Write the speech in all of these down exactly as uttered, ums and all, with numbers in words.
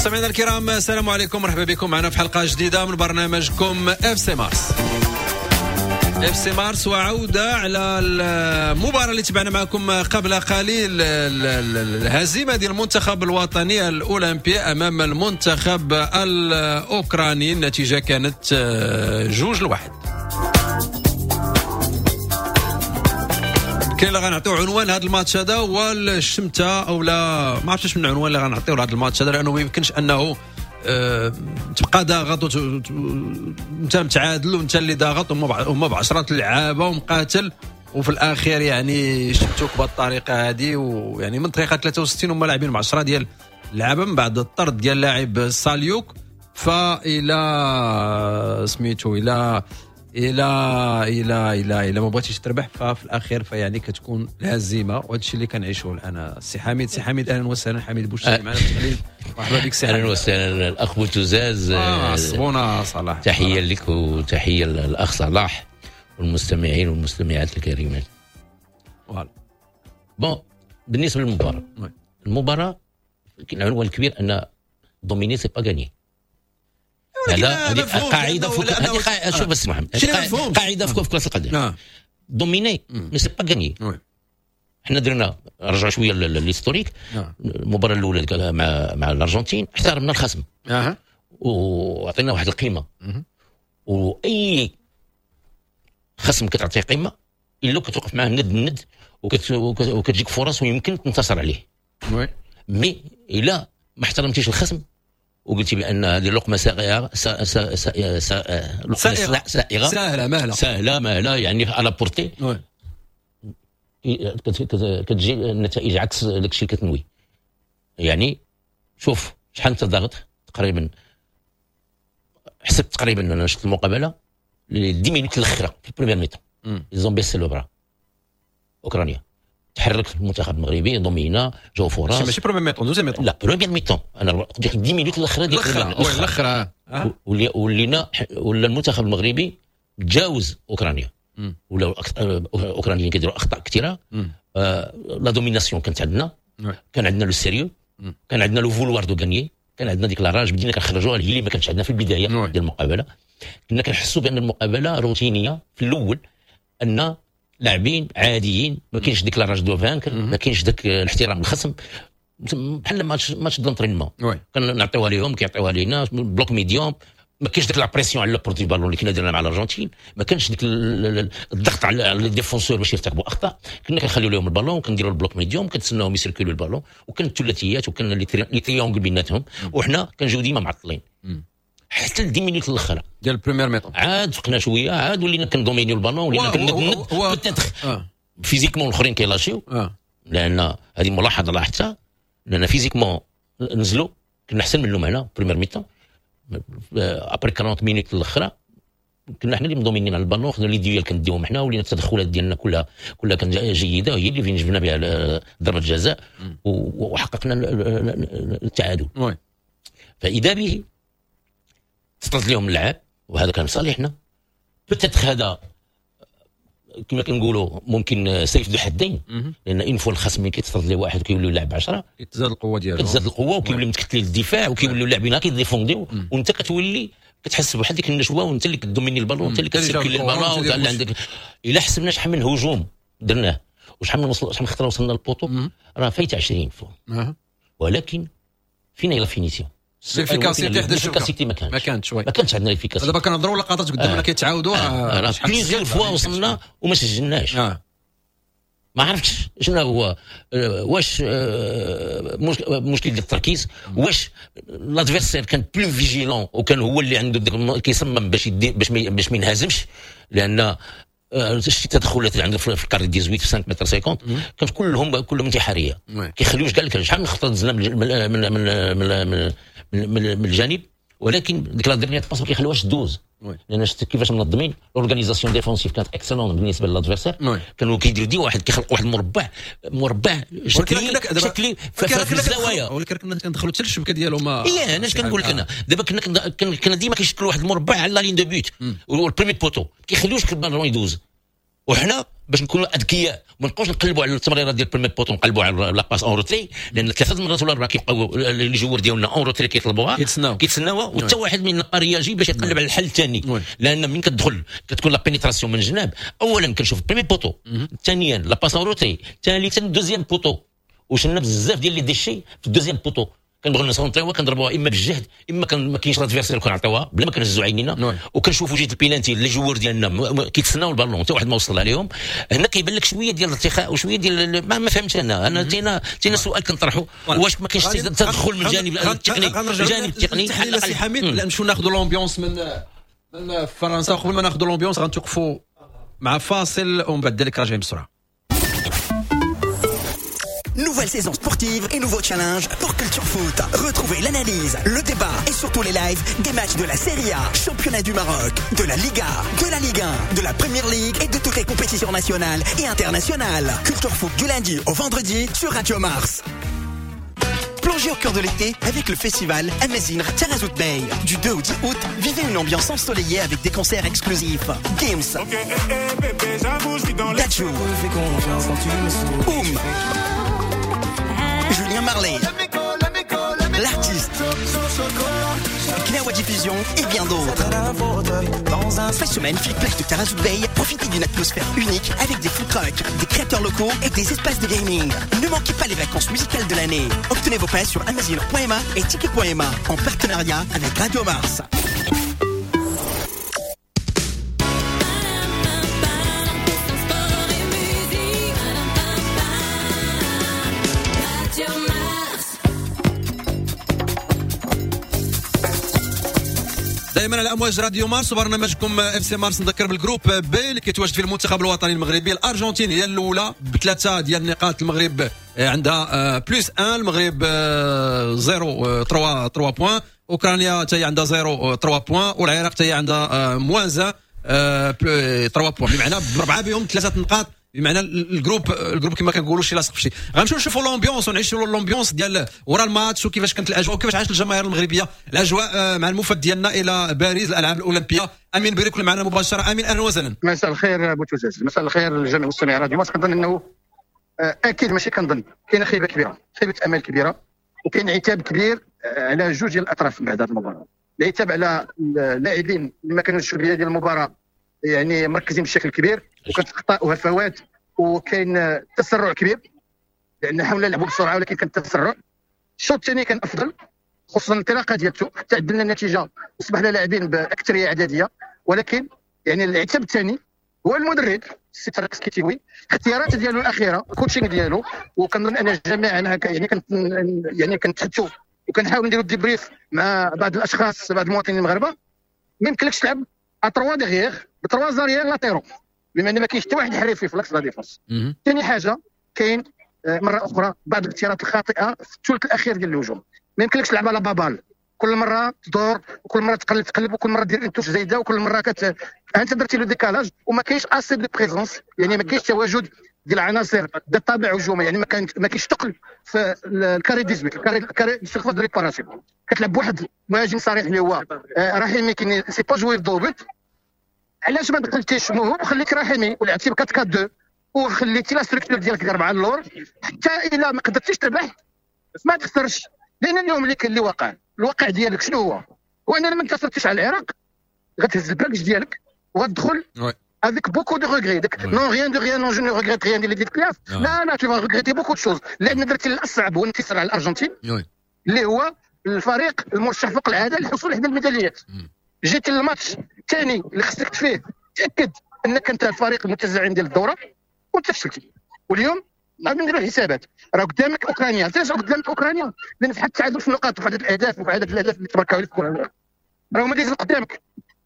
مستمعينا الكرام، السلام عليكم، مرحبا بكم معنا في حلقة جديدة من برنامجكم اف سي مارس. اف سي مارس وعوده على المباراة اللي تبعنا معكم قبل قليل، الهزيمة ديال المنتخب الوطني الاولمبي امام المنتخب الاوكراني. النتيجة كانت جوج لواحد. كاين اللي غنعطيو عنوان هذا الماتش هذا هو الشمته، او لا ما عرفتش من العنوان اللي غنعطيو لهذا الماتش هذا، لانه ما يمكنش انه أه تبقى ضاغط وانت متعادل وانت اللي ضاغط وهما بعشرة اللعابه ومقاتل، وفي الاخير يعني شمتوك بهذه الطريقة هذه. ويعني من دقيقة ثلاثة وستين هما لاعبين بعشرة ديال اللعابه من بعد الطرد ديال لاعب ساليوك، فالى سميتو الى الى الى الى الى ما بغيتيش تربح ففي الاخير فيعني كتكون الهزيمة، وهذا الشيء اللي كنعيشوه الان. السي حميد، سي حميد اهلا وسهلا. حميد بوشتي معنا في التحليل، مرحبا بك سي حميد. اهلا وسهلا الاخ بوتوزاز. آه صبونا صلاح، تحية لك وتحية للاخ صلاح والمستمعين والمستمعات الكريمات. voilà bon، بالنسبة للمباراة، المباراة العنوان الكبير ان dominer c'est pas gagner. هذا هذه قاعدة فوق، هذه شوف بس محمد، قاعدة فوق في كره القدم، dominer mais c'est pas gagner. حنا درنا رجعوا شوية l'historique. المباراة الاولى مع مع الارجنتين احترمنا الخصم وعطينا واحد القيمة، واي خصم كتعطيه قيمة الا كتوقف معاه ند ند وكتجيك فرص ويمكن تنتصر عليه. mais الا ما احترمتيش الخصم وقلتي بان هذه اللقمة سائغة سائغة سهلة مهله سهلة مهله يعني à la portée، كتجي النتائج عكس داك الشيء اللي كتنوي. يعني شوف شحال انت ضاغط، تقريبا حسبت تقريبا انا شفت المقابلة les dix minutes الاخرى في ال première mi-temps ils ont baissé les bras. اوكرانيا تحرك المنتخب المغربي، domina، جاو فرص. ماشي première mi-temps، deuxième mi-temps. لا première mi-temps، انا ديك dix minutes الاخرى ديال الاخرى ولينا ولا المنتخب المغربي تجاوز اوكرانيا، ولا اوكرانيين كيديروا اخطاء كثيرة. آه la domination كانت عندنا، كان عندنا le sérieux، كان عندنا le vouloir de gagner، كان عندنا ديك la rage بدينا كنخرجوها هي اللي ما كانتش عندنا في البداية ديال المقابلة. كنا كنحسوا بان المقابلة روتينيه في الاول، ان لاعبين عاديين، ما كاينش ديك la rage de vaincre، ما كاينش داك الاحترام الخصم، بحال match match d'entraînement كنعطيوها لهم كيعطيوها لينا bloc médium، ما كاينش ديك la pression على porteur ballon اللي كنا درنا مع الارجنتين، ما كانش ديك الضغط على les défenseurs باش يرتكبوا اخطاء. كنا كنخليو لهم البالون، كنديروا ال bloc médium، كنتسناوهم يسيركولوا البالون، وكان الثلاثيات وكان les triangles بيناتهم، وحنا كنجيو ديما معطلين حتى ل dix minutes الاخرى ديال ال première mi-temps. عاد فقنا شوية، عاد ولينا كندومينيو البالون، ولينا كندند peut-être physiquement الاخرين كيلاشيو، لان هذه ملاحظة لاحظتها، لان physiquement نزلوا كنا احسن منهم هنا première mi-temps. après quarante minutes الاخرى كنا حنا اللي مدومينين على البالون، خدنا les duels كنديوهم حنا، ولينا التدخلات ديالنا كلها كلها كانت جيدة، وهي اللي فين جبنا بها ضربه الجزاء وحققنا التعادل. فاذا به تطرد لهم اللعاب، وهذا كان صالحنا peut-être. هذا كما كنقولوا ممكن سيف ذو حدين، لان une fois الخصم ملي كيتطرد ليه واحد كيولي يلعب عشرة، كتزاد القوة ديالو، كتزاد القوة وكيولي متكتل الدفاع، وكيوليو اللاعبين كيديفونديو، وانت كتولي كتحس بواحد ديك النشوة، وانت اللي كدوميني البالون، وانت اللي كتسيركولي البالون، اللي عندك. الا حسبنا شحال من هجوم درناه وشحال من وصل، شحال من خطره وصلنا لل poteau، راه فايت عشرين fois، ولكن فين هي la finition؟ l'efficacité. l'efficacité ما كانتش ما كانتش. oui، ما كانتش عندنا l'efficacité. دابا كنهضروا لقطات قدامنا كيتعاودوا. راه plusieurs fois وصلنا وما سجلناش. آه. ما عرفتش شنو هو، واش مشكل ديال التركيز، واش l'adversaire كان plus vigilant وكان هو اللي عنده كيصمم باش يدي باش ما باش ما ينهزمش، لان شتي التدخلات اللي عنده في ال carré dix-huit في خمسة متر خمسين كانت كلهم كلهم انتحارية، كيخليوش كاع لك شحال من خطره دزنا من من من من, من, من, من الجانب، ولكن ديك la dernière passe ما كيخليوهاش دوز، لان شفت كيفاش منظمين l'organisation défensive كانت excellente بالنسبة ل l'adversaire. كانوا كيديروا دي واحد كيخلق واحد المربع مربع شكلي شكلي في الزوايا، ولكن كنا كندخلوا حتى للشبكه ديالهم. اي انا اش كنقول لك، انا دابا كنا كنا ديما كيشكلوا واحد المربع على la ligne de but وال premier poteau، كيخليوش البالون يدوز، وحنا باش نكونوا اذكياء، ما نبقاوش نقلبوا على التمريره ديال premier poteau، نقلبوا على la passe en retrait، لان ثلاثة مرات ولا اربعة كيبقاو les joueurs ديالنا en retrait كيطلبوها، كيتسناو كيتسناوها، وحتى واحد من réagit باش يقلب على الحل الثاني. لان من كتدخل كتكون la pénétration من الجناب، اولا كنشوف premier poteau، ثانيا la passe en retrait، ثالثا deuxième poteau. وشلنا بزاف ديال les déchets في ال deuxième poteau، كنبغيو نسونطريوها كنضربوها اما بالجهد اما كان ما كاينش l'adversaire كنعطيوها بلا ما كنهزوا عينينا، وكنشوفوا جهة ال penalty les joueurs ديالنا كيتسناو البالون حتى واحد ما وصل عليهم. هنا كيبان لك شوية ديال الارتخاء وشوية ديال ما, ما فهمتش انا انا تينا تينا سؤال كنطرحه، واش ما كاينش تدخل من الجانب التقني؟ الجانب التقني تحليل سي حميد. نمشيو ناخذوا l'ambiance من من فرنسا. قبل ما ناخذوا l'ambiance غنتوقفوا مع فاصل ومن بعد ذلك راجعين بسرعة. Nouvelle saison sportive et nouveau challenge pour Culture Foot. Retrouvez l'analyse, le débat et surtout les lives des matchs de la Serie A, championnat du Maroc, de la Liga, de la Ligue un, de la Premier League et de toutes les compétitions nationales et internationales. Culture Foot du lundi au vendredi sur Radio Mars. Plongez au cœur de l'été avec le festival Amazigh Taghazout Bay. Du deux au dix août, vivez une ambiance ensoleillée avec des concerts exclusifs. Games, Dadju, Oum, Julien Marley, l'artiste, Gnawa Diffusion et bien d'autres. Cette magnifique plage de Taghazout Bay, profitez d'une atmosphère unique avec des food trucks, des créateurs locaux et des espaces de gaming. Ne manquez pas les vacances musicales de l'année. Obtenez vos places sur amazigh point ma et ticket point ma en partenariat avec Radio Mars. دائما على امواج راديو مارس وبرنامجكم اف سي مارس. نذكر بال groupe B اللي كيتواجد فيه المنتخب الوطني المغربي. الارجنتين هي الاولى بثلاثة ديال النقاط، المغرب عندها plus واحد، المغرب صفر ثلاثة ثلاثة points، اوكرانيا حتى هي عندها صفر ثلاثة points، والعراق حتى هي عندها moins ثلاثة points، بمعنى بربعه بهم ثلاثة نقاط، بمعنى ال groupe ال groupe كما كنقولوا شي لاصق في شي. غنمشيو نشوفوا l'ambiance ونعيشوا l'ambiance ديال ورا الماتش وكيفاش كانت الاجواء وكيفاش عاشت الجماهير المغربية الاجواء مع المفد ديالنا الى باريس الالعاب الاولمبية. امين بريك معنا مباشرة. امين اهلا وسهلا. مساء الخير بوتوزاز، مساء الخير لجميع مستمعي راديو مارس. كنظن انه اكيد ماشي كنظن كاينه خيبه كبيرة، خيبه امل كبيرة، وكاين عتاب كبير على جوج ديال الاطراف بعد هذه المباراة. العتاب على اللاعبين اللي ما كانوش في البداية ديال المباراة يعني مركزين بشكل كبير، وكانت اخطاء وهفوات وكاين تسرع كبير، لان حاولنا نلعبوا بسرعة ولكن كان التسرع. الشوط الثاني كان افضل، خصوصا الانطلاقة ديالته حتى عدلنا النتيجة وصبحنا لاعبين باكثريه عددية. ولكن يعني العتاب الثاني هو المدرب السي طارق السكتيوي، الاختيارات ديالو الاخيرة، ال coaching ديالو، وكنظن ان الجميع انا يعني كنت يعني كنتحدثوا وكنحاول نديروا débrief مع بعض الاشخاص بعض المواطنين المغاربة. ما يمكنلكش تلعب à trois derrière ب trois arrières latéraux، بما ان ما كاينش حتى واحد حريفي في l'axe la défense. ثاني حاجة كاين مرة اخرى بعض الاختيارات الخاطئة في الثلث الاخير ديال الهجوم. ما يمكنلكش تلعب على بابال، كل مرة تدور وكل مرة تقلب تقلب وكل مرة دير touche زايدة وكل مرة كت انت درتي le décalage وما كاينش assez de présence، يعني ما كاينش تواجد ديال العناصر ذات طابع هجومي، يعني ما كان ما كاينش ثقل في ال carré dix-huit، ال carré ال carré surface de réparation. كتلعب بواحد مهاجم صريح اللي هو رحيمي qui sait pas jouer dos au but. علاش ما دخلتيش موهوب وخليك رحيمي ولعبتي ب أربعة أربعة اثنين وخليتي la structure ديالك أربعة اللور، حتى الا ما قدرتيش تربح ما تخسرش. لان اليوم اللي اللي وقع الواقع ديالك شنو هو؟ هو اننا ما انتصرتيش على العراق، غتهز ال bagage ديالك وغتدخل avec beaucoup de regrets. Non, rien de rien, non, je ne regrette rien ديال Edith Piaf. لا لا, tu vas regretter beaucoup de choses. لان درتي الاصعب هو الانتصار على الارجنتين اللي هو الفريق المرشح فوق العادة للحصول على الميداليات. جيت للماتش الثاني اللي خصك فيه تاكد انك انت الفريق المتزعم ديال الدورة وانت فشلتي. واليوم غادي نديروا الحسابات، راه قدامك اوكرانيا، علاش قدامك اوكرانيا؟ لان في حد التعادل في النقاط وفي عدد الاهداف وفي عدد الاهداف اللي تباركوا عليك في راه هما دايزين قدامك.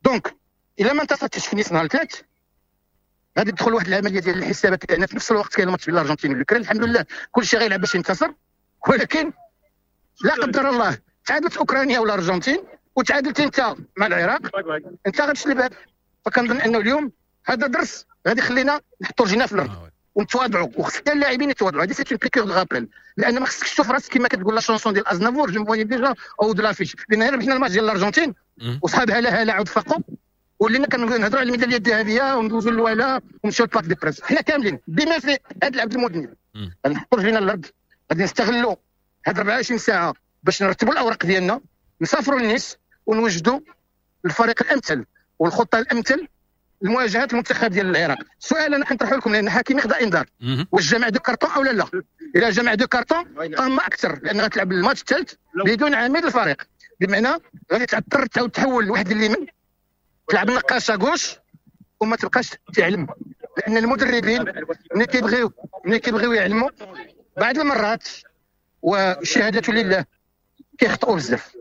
donc الا ما انتصرتيش في نيس نهار الثلاث غادي تدخل واحد العملية ديال الحسابات، لان في نفس الوقت كاين الماتش بين الارجنتين والاوكران. الحمد لله كل شيء غيلعب باش ينتصر، ولكن لا قدر الله تعادلت اوكرانيا والارجنتين وتعادلت انت مع العراق، انت غتشلب. فكنظن انه اليوم هذا درس غادي يخلينا نحطوا رجلنا في الارض ونتواضعوا، وخص حتى اللاعبين يتواضعوا. هذه c'est une piqûre de rappel، لان ما خصكش تشوف راسك كما كتقول la chanson ديال ازنافور je me voyais déjà haut de l'affiche. لان ربحنا الماتش ديال الارجنتين وصحاب هلا هلا عاود فاقوا ولينا كنهضروا على الميداليه الذهبية وندوزوا للولا ونمشيو ل Parc des Princes. حنا كاملين بما في هذا العبد المذنب غنحطوا رجلينا الارض، غادي نستغلوا هاد أربعة وعشرين ساعة باش نرتبوا الاوراق ديالنا، نسافروا لنيس ونوجدوا الفريق الامثل والخطه الامثل لمواجهة المنتخب ديال العراق. سؤال انا كنطرحه لكم، لان حكيمي خدا انذار، واش جمع deux cartons او لا لا؟ الا جمع deux cartons طامة اكثر، لان غتلعب الماتش الثالث بدون عميد الفريق، بمعنى غادي تعثر تعاود تحول لواحد اليمين، تلعب النقاشه gauche وما تبقاش تعلم، لان المدربين ملي كيبغيو ملي كيبغيو يعلموا بعض المرات والشهادة لله كيخطئوا بزاف.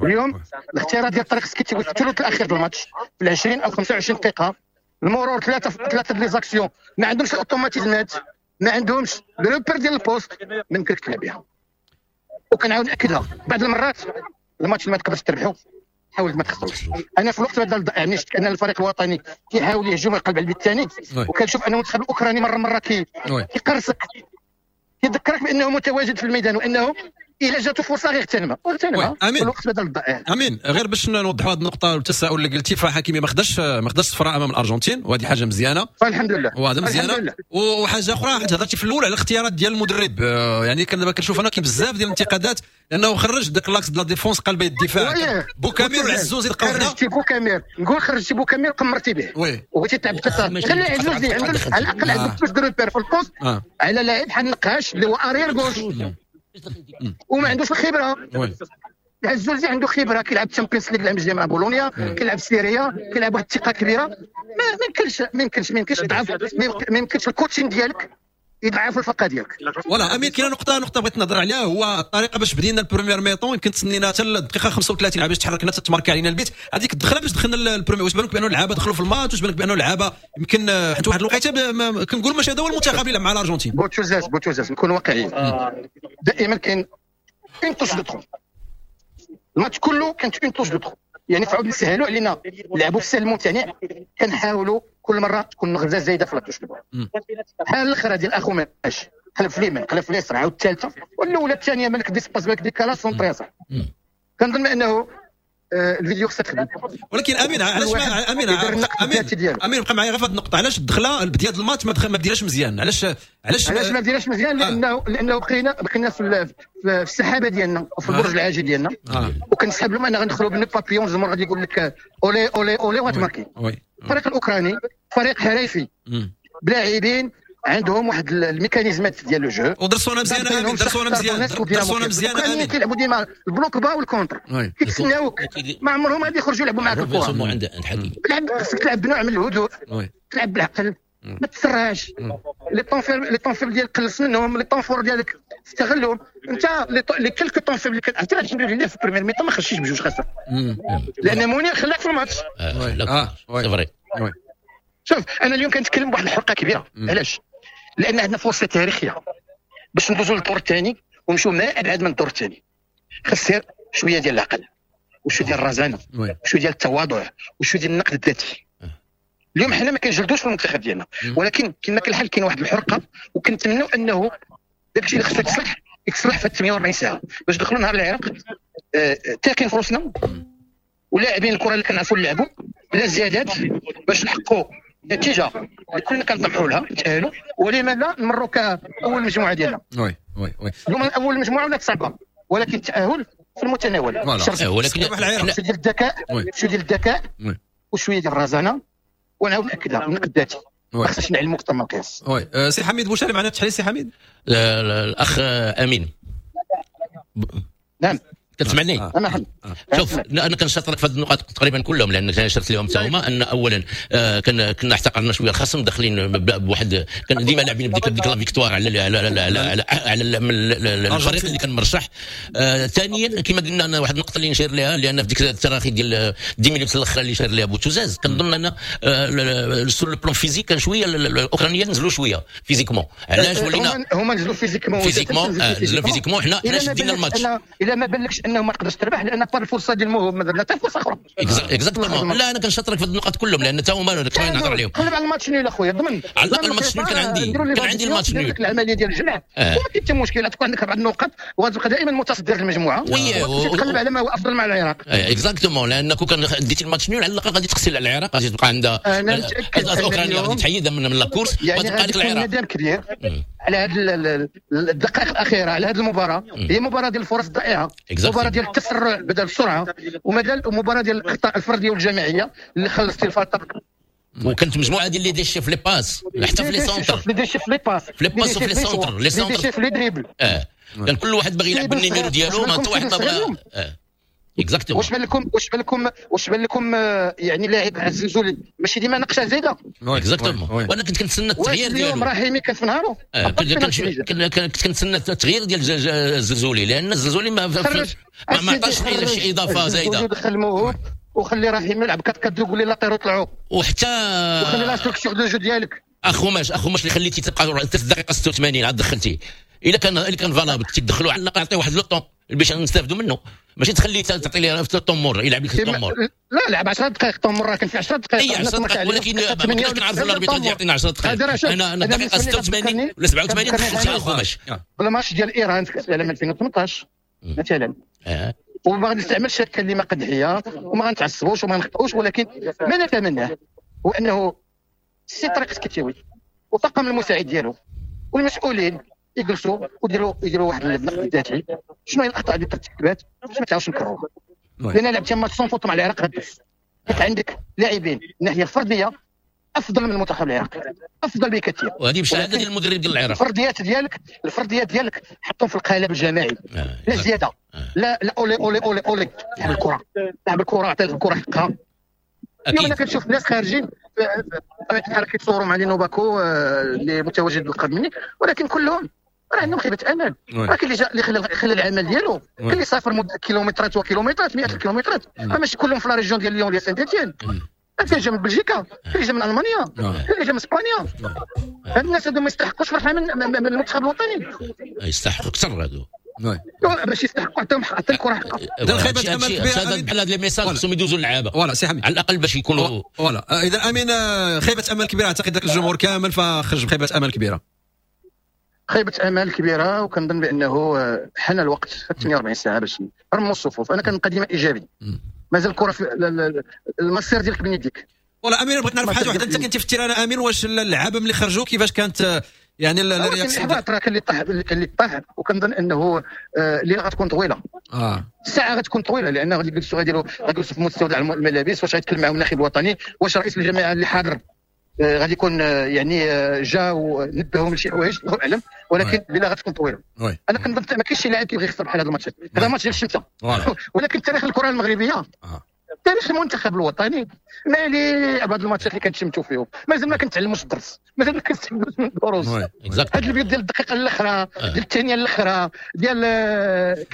اليوم الاختيارات ديال طريق سكيتي في الثلث الاخير ديال الماتش في عشرين او خمسة وعشرين دقيقة، المرور ثلاثة ثلاثة les actions، ما عندهمش ال automatismes، ما عندهمش repères ديال ال poste، ما يمكنلكش تلعب بها. وكنعاود ناكدها بعض المرات الماتش ما تقدرش تربحو، حاول ما تخسروش. انا في الوقت بدل يعني شفت ان الفريق الوطني كيحاول يهجم ويقلب على البيت الثاني، وكنشوف ان المنتخب الاوكراني مرة مرة كيقرصك، كيذكرك بانه متواجد في الميدان وانه الا جاتو فرصة غير اغتنمها واغتنمها في الوقت بدل الضائع. امين، غير باش نوضحوا هذه النقطة والتساؤل اللي قلتي، فحكيمي ما خداش ما خداش صفراء امام الارجنتين، وهذه حاجة مزيانه فالحمد لله، وهذا مزيانه. وحاجه اخرى حيت هضرتي في الاول على الاختيارات ديال المدرب، يعني كان دابا كنشوف انا كاين بزاف ديال الانتقادات لانه خرج داك l'axe de la défense قلب الدفاع بوكامير والعزوزي لقاو هنا. خرجتي بوكامير، نقول خرجتي بوكامير قمرتي به وبغيتي تلعب خلي عزوزي على الاقل عندك جوج repères في ال poste على لاعب بحال النقاش اللي هو arrière gauche وما عندوش الخبرة. العزوزي عنده خبره، كيلعب Champions League العام الجاي مع بولونيا، كيلعب سيريا، كيلعب واحد الثقة كبيرة. ما يمكنش ما يمكنش ما يمكنش تضعف، ما يمكنش ال coaching ديالك يضعف الفرقة ديالك. voilà امين، كاينه نقطة نقطة بغيت نهضر عليها، هو الطريقة باش بدينا ال première mi-temps، يمكن تسنينا حتى الدقيقة خمسة وثلاثين باش تحركنا تماركا علينا البيت، هذيك الدخلة باش دخلنا ال première. واش بالك بانه اللعابه دخلوا في الماتش؟ واش بالك بانه اللعابه يمكن حيت واحد الوقيته كنقول ماشي هذا هو المنتخب اللي مع الارجنتين. بوتوزاز بوتوزاز نكونوا واقعيين، دائما كاين une touche de trop، الماتش كله كانت une touche de trop، يعني فعاود نسهلوا علينا نلعبوا في السهل الممتنع، كنحاولوا كل مرة تكون نغزه زايدة في la touche de balle. بحال الاخرى ديال اخو ماشي قلب في اليمين قلب في اليسار عاود الثالثة والاولى الثانية مالك d'espace مالك décalage centré. كنظن انه الفيديو خصها تخدم. ولكن امين علاش ما امين امين امين بقى معايا غير في هذه النقطة، علاش الدخلة البداية ديال الماتش ما ما بديناش مزيان؟ علاش علاش علاش ما بديناش مزيان؟ لانه آه. لانه بقينا بقينا في في السحابة ديالنا وفي البرج العاجي ديالنا، آه. وكنسحب لهم ان غندخلوا ب nœud papillon، الجمهور غادي يقول لك olé olé olé وغتماركي. الفريق الاوكراني فريق حريفي بلاعبين عندهم واحد الميكانيزمات ديال le jeu، ودرسونا مزيان امين، درسونا مزيان درسونا مزيان امين. كيلعبوا ديما ال bloc bas وال contre، كيتسناوك، ما عمرهم غادي يخرجوا يلعبوا معاك الكره. لعب خصك تلعب بنوع من الهدوء، تلعب بالعقل، ما تسرعش. les temps faibles les temps faibles ديالك قلص منهم، les temps forts ديالك استغلهم. انت les quelques temps faibles اللي كانت الحمد لله في ال première mi-temps ما خرجتيش بجوج خسر، لان منير خلاك في الماتش. اه c'est vrai. شوف انا اليوم كنتكلم بواحد الحرقة كبيرة، علاش؟ لان عندنا فرصة تاريخية باش ندوزو للدور الثاني ونمشيو ما ابعد من الدور الثاني. خاص شوية ديال العقل وشوية ديال الرزانه وشوية ديال التواضع وشوية ديال النقد الذاتي. اليوم حنا ما كنجلدوش في المنتخب ديالنا، ولكن كما كان الحال كاين واحد الحرقة، وكنتمناو انه داكشي اللي خصو يتصلح يتصلح في ثمانية وأربعين ساعة باش ندخلوا نهار العراق تاكين في روسنا ولاعبين الكره اللي كنعرفوا نلعبوا بلا زيادات باش نحققوا نتيجة اللي كلنا كنطمحوا لها نتاهلوا، ولما لا نمروا كاول مجموعة ديالنا. oui oui oui اليوم اول مجموعة ولات صعبة، ولكن التاهل في المتناول. ولكن شوية ديال الذكاء، شوية ديال الذكاء وشوية ديال الرزانه، ونعاود ناكدها النقد الذاتي ما خصناش نعلموا اكثر من القياس. oui سي حميد بوشاري معنا التحليل. سي حميد الاخ امين. نعم كتسمعني؟ آه. انا آه. شوف انا كنشاطرك في هذه النقاط تقريبا كلهم، لان شرت لهم حتى هما ان اولا آه كان كنا احتقرنا شوية الخصم، داخلين بواحد كان ديما لاعبين بديك ديك la victoire على على على على, على, على الفريق اللي كان مرشح. آه ثانيا كما قلنا انا واحد النقطة اللي نشير لها، لان في ديك التراخي ديال dix minutes الاخرى اللي شير لها بوتوزاز، كنظن ان sur le plan physique كان شوية الاوكرانيين نزلوا شوية physiquement. علاش ولينا هما نزلوا physiquement physiquement نزلوا physiquement، حنا حنا شدينا الماتش. الا ما بالكش بانه ما تقدرش تربح، لان par الفرصة ديال الموهوب ما درنا حتى فرصة اخرى. exactement. لا انا كنشاطرك في النقاط كلهم، لان حتى هما كنا نهضر عليهم. قلب على ال match nul اخويا، ضمن على الاقل ال match nul. كان عندي كان عندي ال match nul، العملية ديال الجمع آه. وما كاين حتى مشكل، تكون عندك اربع نقاط وغتبقى دائما متصدر المجموعة، وتقلب على ما هو افضل مع العراق. exactement، لان كون كان ديتي ال match nul على الاقل غادي تقسي على العراق، غادي تبقى عندها اوكرانيا غادي تحيدها من la course وتبقى لك العراق. ندم كبير على هذه الدقائق الاخيرة على هذه المباراة، هي مباراة ديال الفرص الضائعة، مباراة ديال التسرع بدل السرعة، ومباراة ديال الاخطاء الفردية والجماعيه اللي خلصتي الفرق. وكانت مجموعة ديال les déchets في les passes، حتى في les centres، les déchets في les passes، في les passes وفي les centres، les centres في les dribbles. اه كان كل واحد باغي يلعب بال numéro ديالو، ما حتى واحد ما بغى. اه exactement. واش بان لكم واش بان لكم واش بان لكم يعني لاعب الزلزولي ماشي ديما نقشه زايدة. exactement. وانا كنت كنتسنى التغيير ديالو. اليوم رحيمي كان في نهارو. آه كنت كنتسنى التغيير ديال الزلزولي، لان الزلزولي ما ما عطاش شي اضافه زايدة. دخل الموهوب وخلي رحيمي يلعب كتكدو، قول لي latéraux طلعوا، وحتى وخلي la structure de jeu ديالك. اخوماش اخوماش اللي خليتي تبقى حتى في الدقيقة ستة وثمانين عاد دخلتيه، الا كان الا كان valable تدخلوا على الاقل عطية واحد le temps باش نستافدوا منه، ماشي تخليه تعطي ليه في طمور يلعب لك الطمور. لا لعب عشر دقائق طمور، راه كان في عشر دقائق. اي عشر دقائق، ولكن ما كناش كنعرفوا l'arbitre غادي يعطينا عشر دقائق. انا انا الدقيقة ستة وثمانين ولا سبعة وثمانين دخلت على خوماش. بالماتش ديال ايران في كاس العالم ألفين وثمنطاش مثلا، اه وما غنستعملش كلمة قدحيه وما غنتعصبوش وما نخطئوش، ولكن ما نتمناه هو انه السي طارق السكتيوي وطاقم المساعد ديالو والمسؤولين يجلسوا ويديروا يديروا واحد النقد الذاتي، شنو هي الاخطاء اللي ترتكبات باش ما تعاودش نكرروها. لان لعبتي match sans faute مع العراق غدوز، حيت عندك لاعبين من الناحية الفردية افضل من المنتخب العراقي، افضل بكثير، وهذه بشهادة ديال المدرب ديال العراق. الفرديات ديالك الفرديات ديالك حطهم في القالب الجماعي، آه. لا زيادة، آه. لا لا olé olé olé olé، لعب الكره، لعب الكره، عطي الكره حقها. اليوم انا كنشوف الناس خارجين بطبيعة الحال كيتصوروا مع لينو باكو اللي متواجد بالقرب مني، ولكن كلهم راه عندهم خيبه امل. راه كاين اللي جا اللي خلى خلى العمل ديالو، كاين اللي سافر مد كيلومترات وكيلومترات، مئات الكيلومترات، ماشي كلهم في la région ديال ليون ديال سانت اتيان. كاين اللي جا من بلجيكا، كاين اللي جا من المانيا، كاين اللي جا من اسبانيا. هاد الناس هادو ما يستحقوش فرحه من من المنتخب الوطني، يستحقوا اكثر هادو باش يستحقوا حتى حتى الكره حقها. خيبه امل كبيرة بحال هاد les messages خصهم يدوزوا للعابه. voilà سي حميد على الاقل باش يكونوا voilà. اذا امين خيبه امل كبيرة، اعتقد ذاك الجمهور كامل فخرج بخيبه امل كبيرة. خيبه امل كبيرة، وكنظن بانه حان الوقت ثمانية وأربعين ساعة باش نرموا الصفوف. انا كنبقى ديما ايجابي، مازال الكره في المسير ديالك بين يديك. voilà امين، بغيت نعرف حاجة واحدة، انت كنتي في ال terrain امين، واش اللعابه ملي خرجوا كيفاش كانت يعني la réaction؟ راه كان اللي طاح اللي طاح، وكنظن انه الليلة غتكون طويلة. اه الساعة غتكون طويلة، لان غادي يجلسوا غاديروا غيجلسوا في مستودع الملابس، واش غيتكلم معاهم الناخب الوطني، واش رئيس الجامعة اللي حاضر غادي يكون يعني جا ونبههم لشي حوايج، الله اعلم، ولكن الليلة غتكون طويلة. انا كنظن ما كاينش شي لاعب كيبغي يخسر بحال هذا الماتش، هذا ماتش ديال الشمسه. ولكن تاريخ الكره المغربية، تاريخ المنتخب الوطني مالي بعض الماتشات اللي كنتشمتوا فيهم، مازال ما كنتعلموش الدرس، مازال ما كنستافدوش من الدروس. هاد البيوت ديال الدقيقة الاخرى، ديال الثانية الاخرى، ديال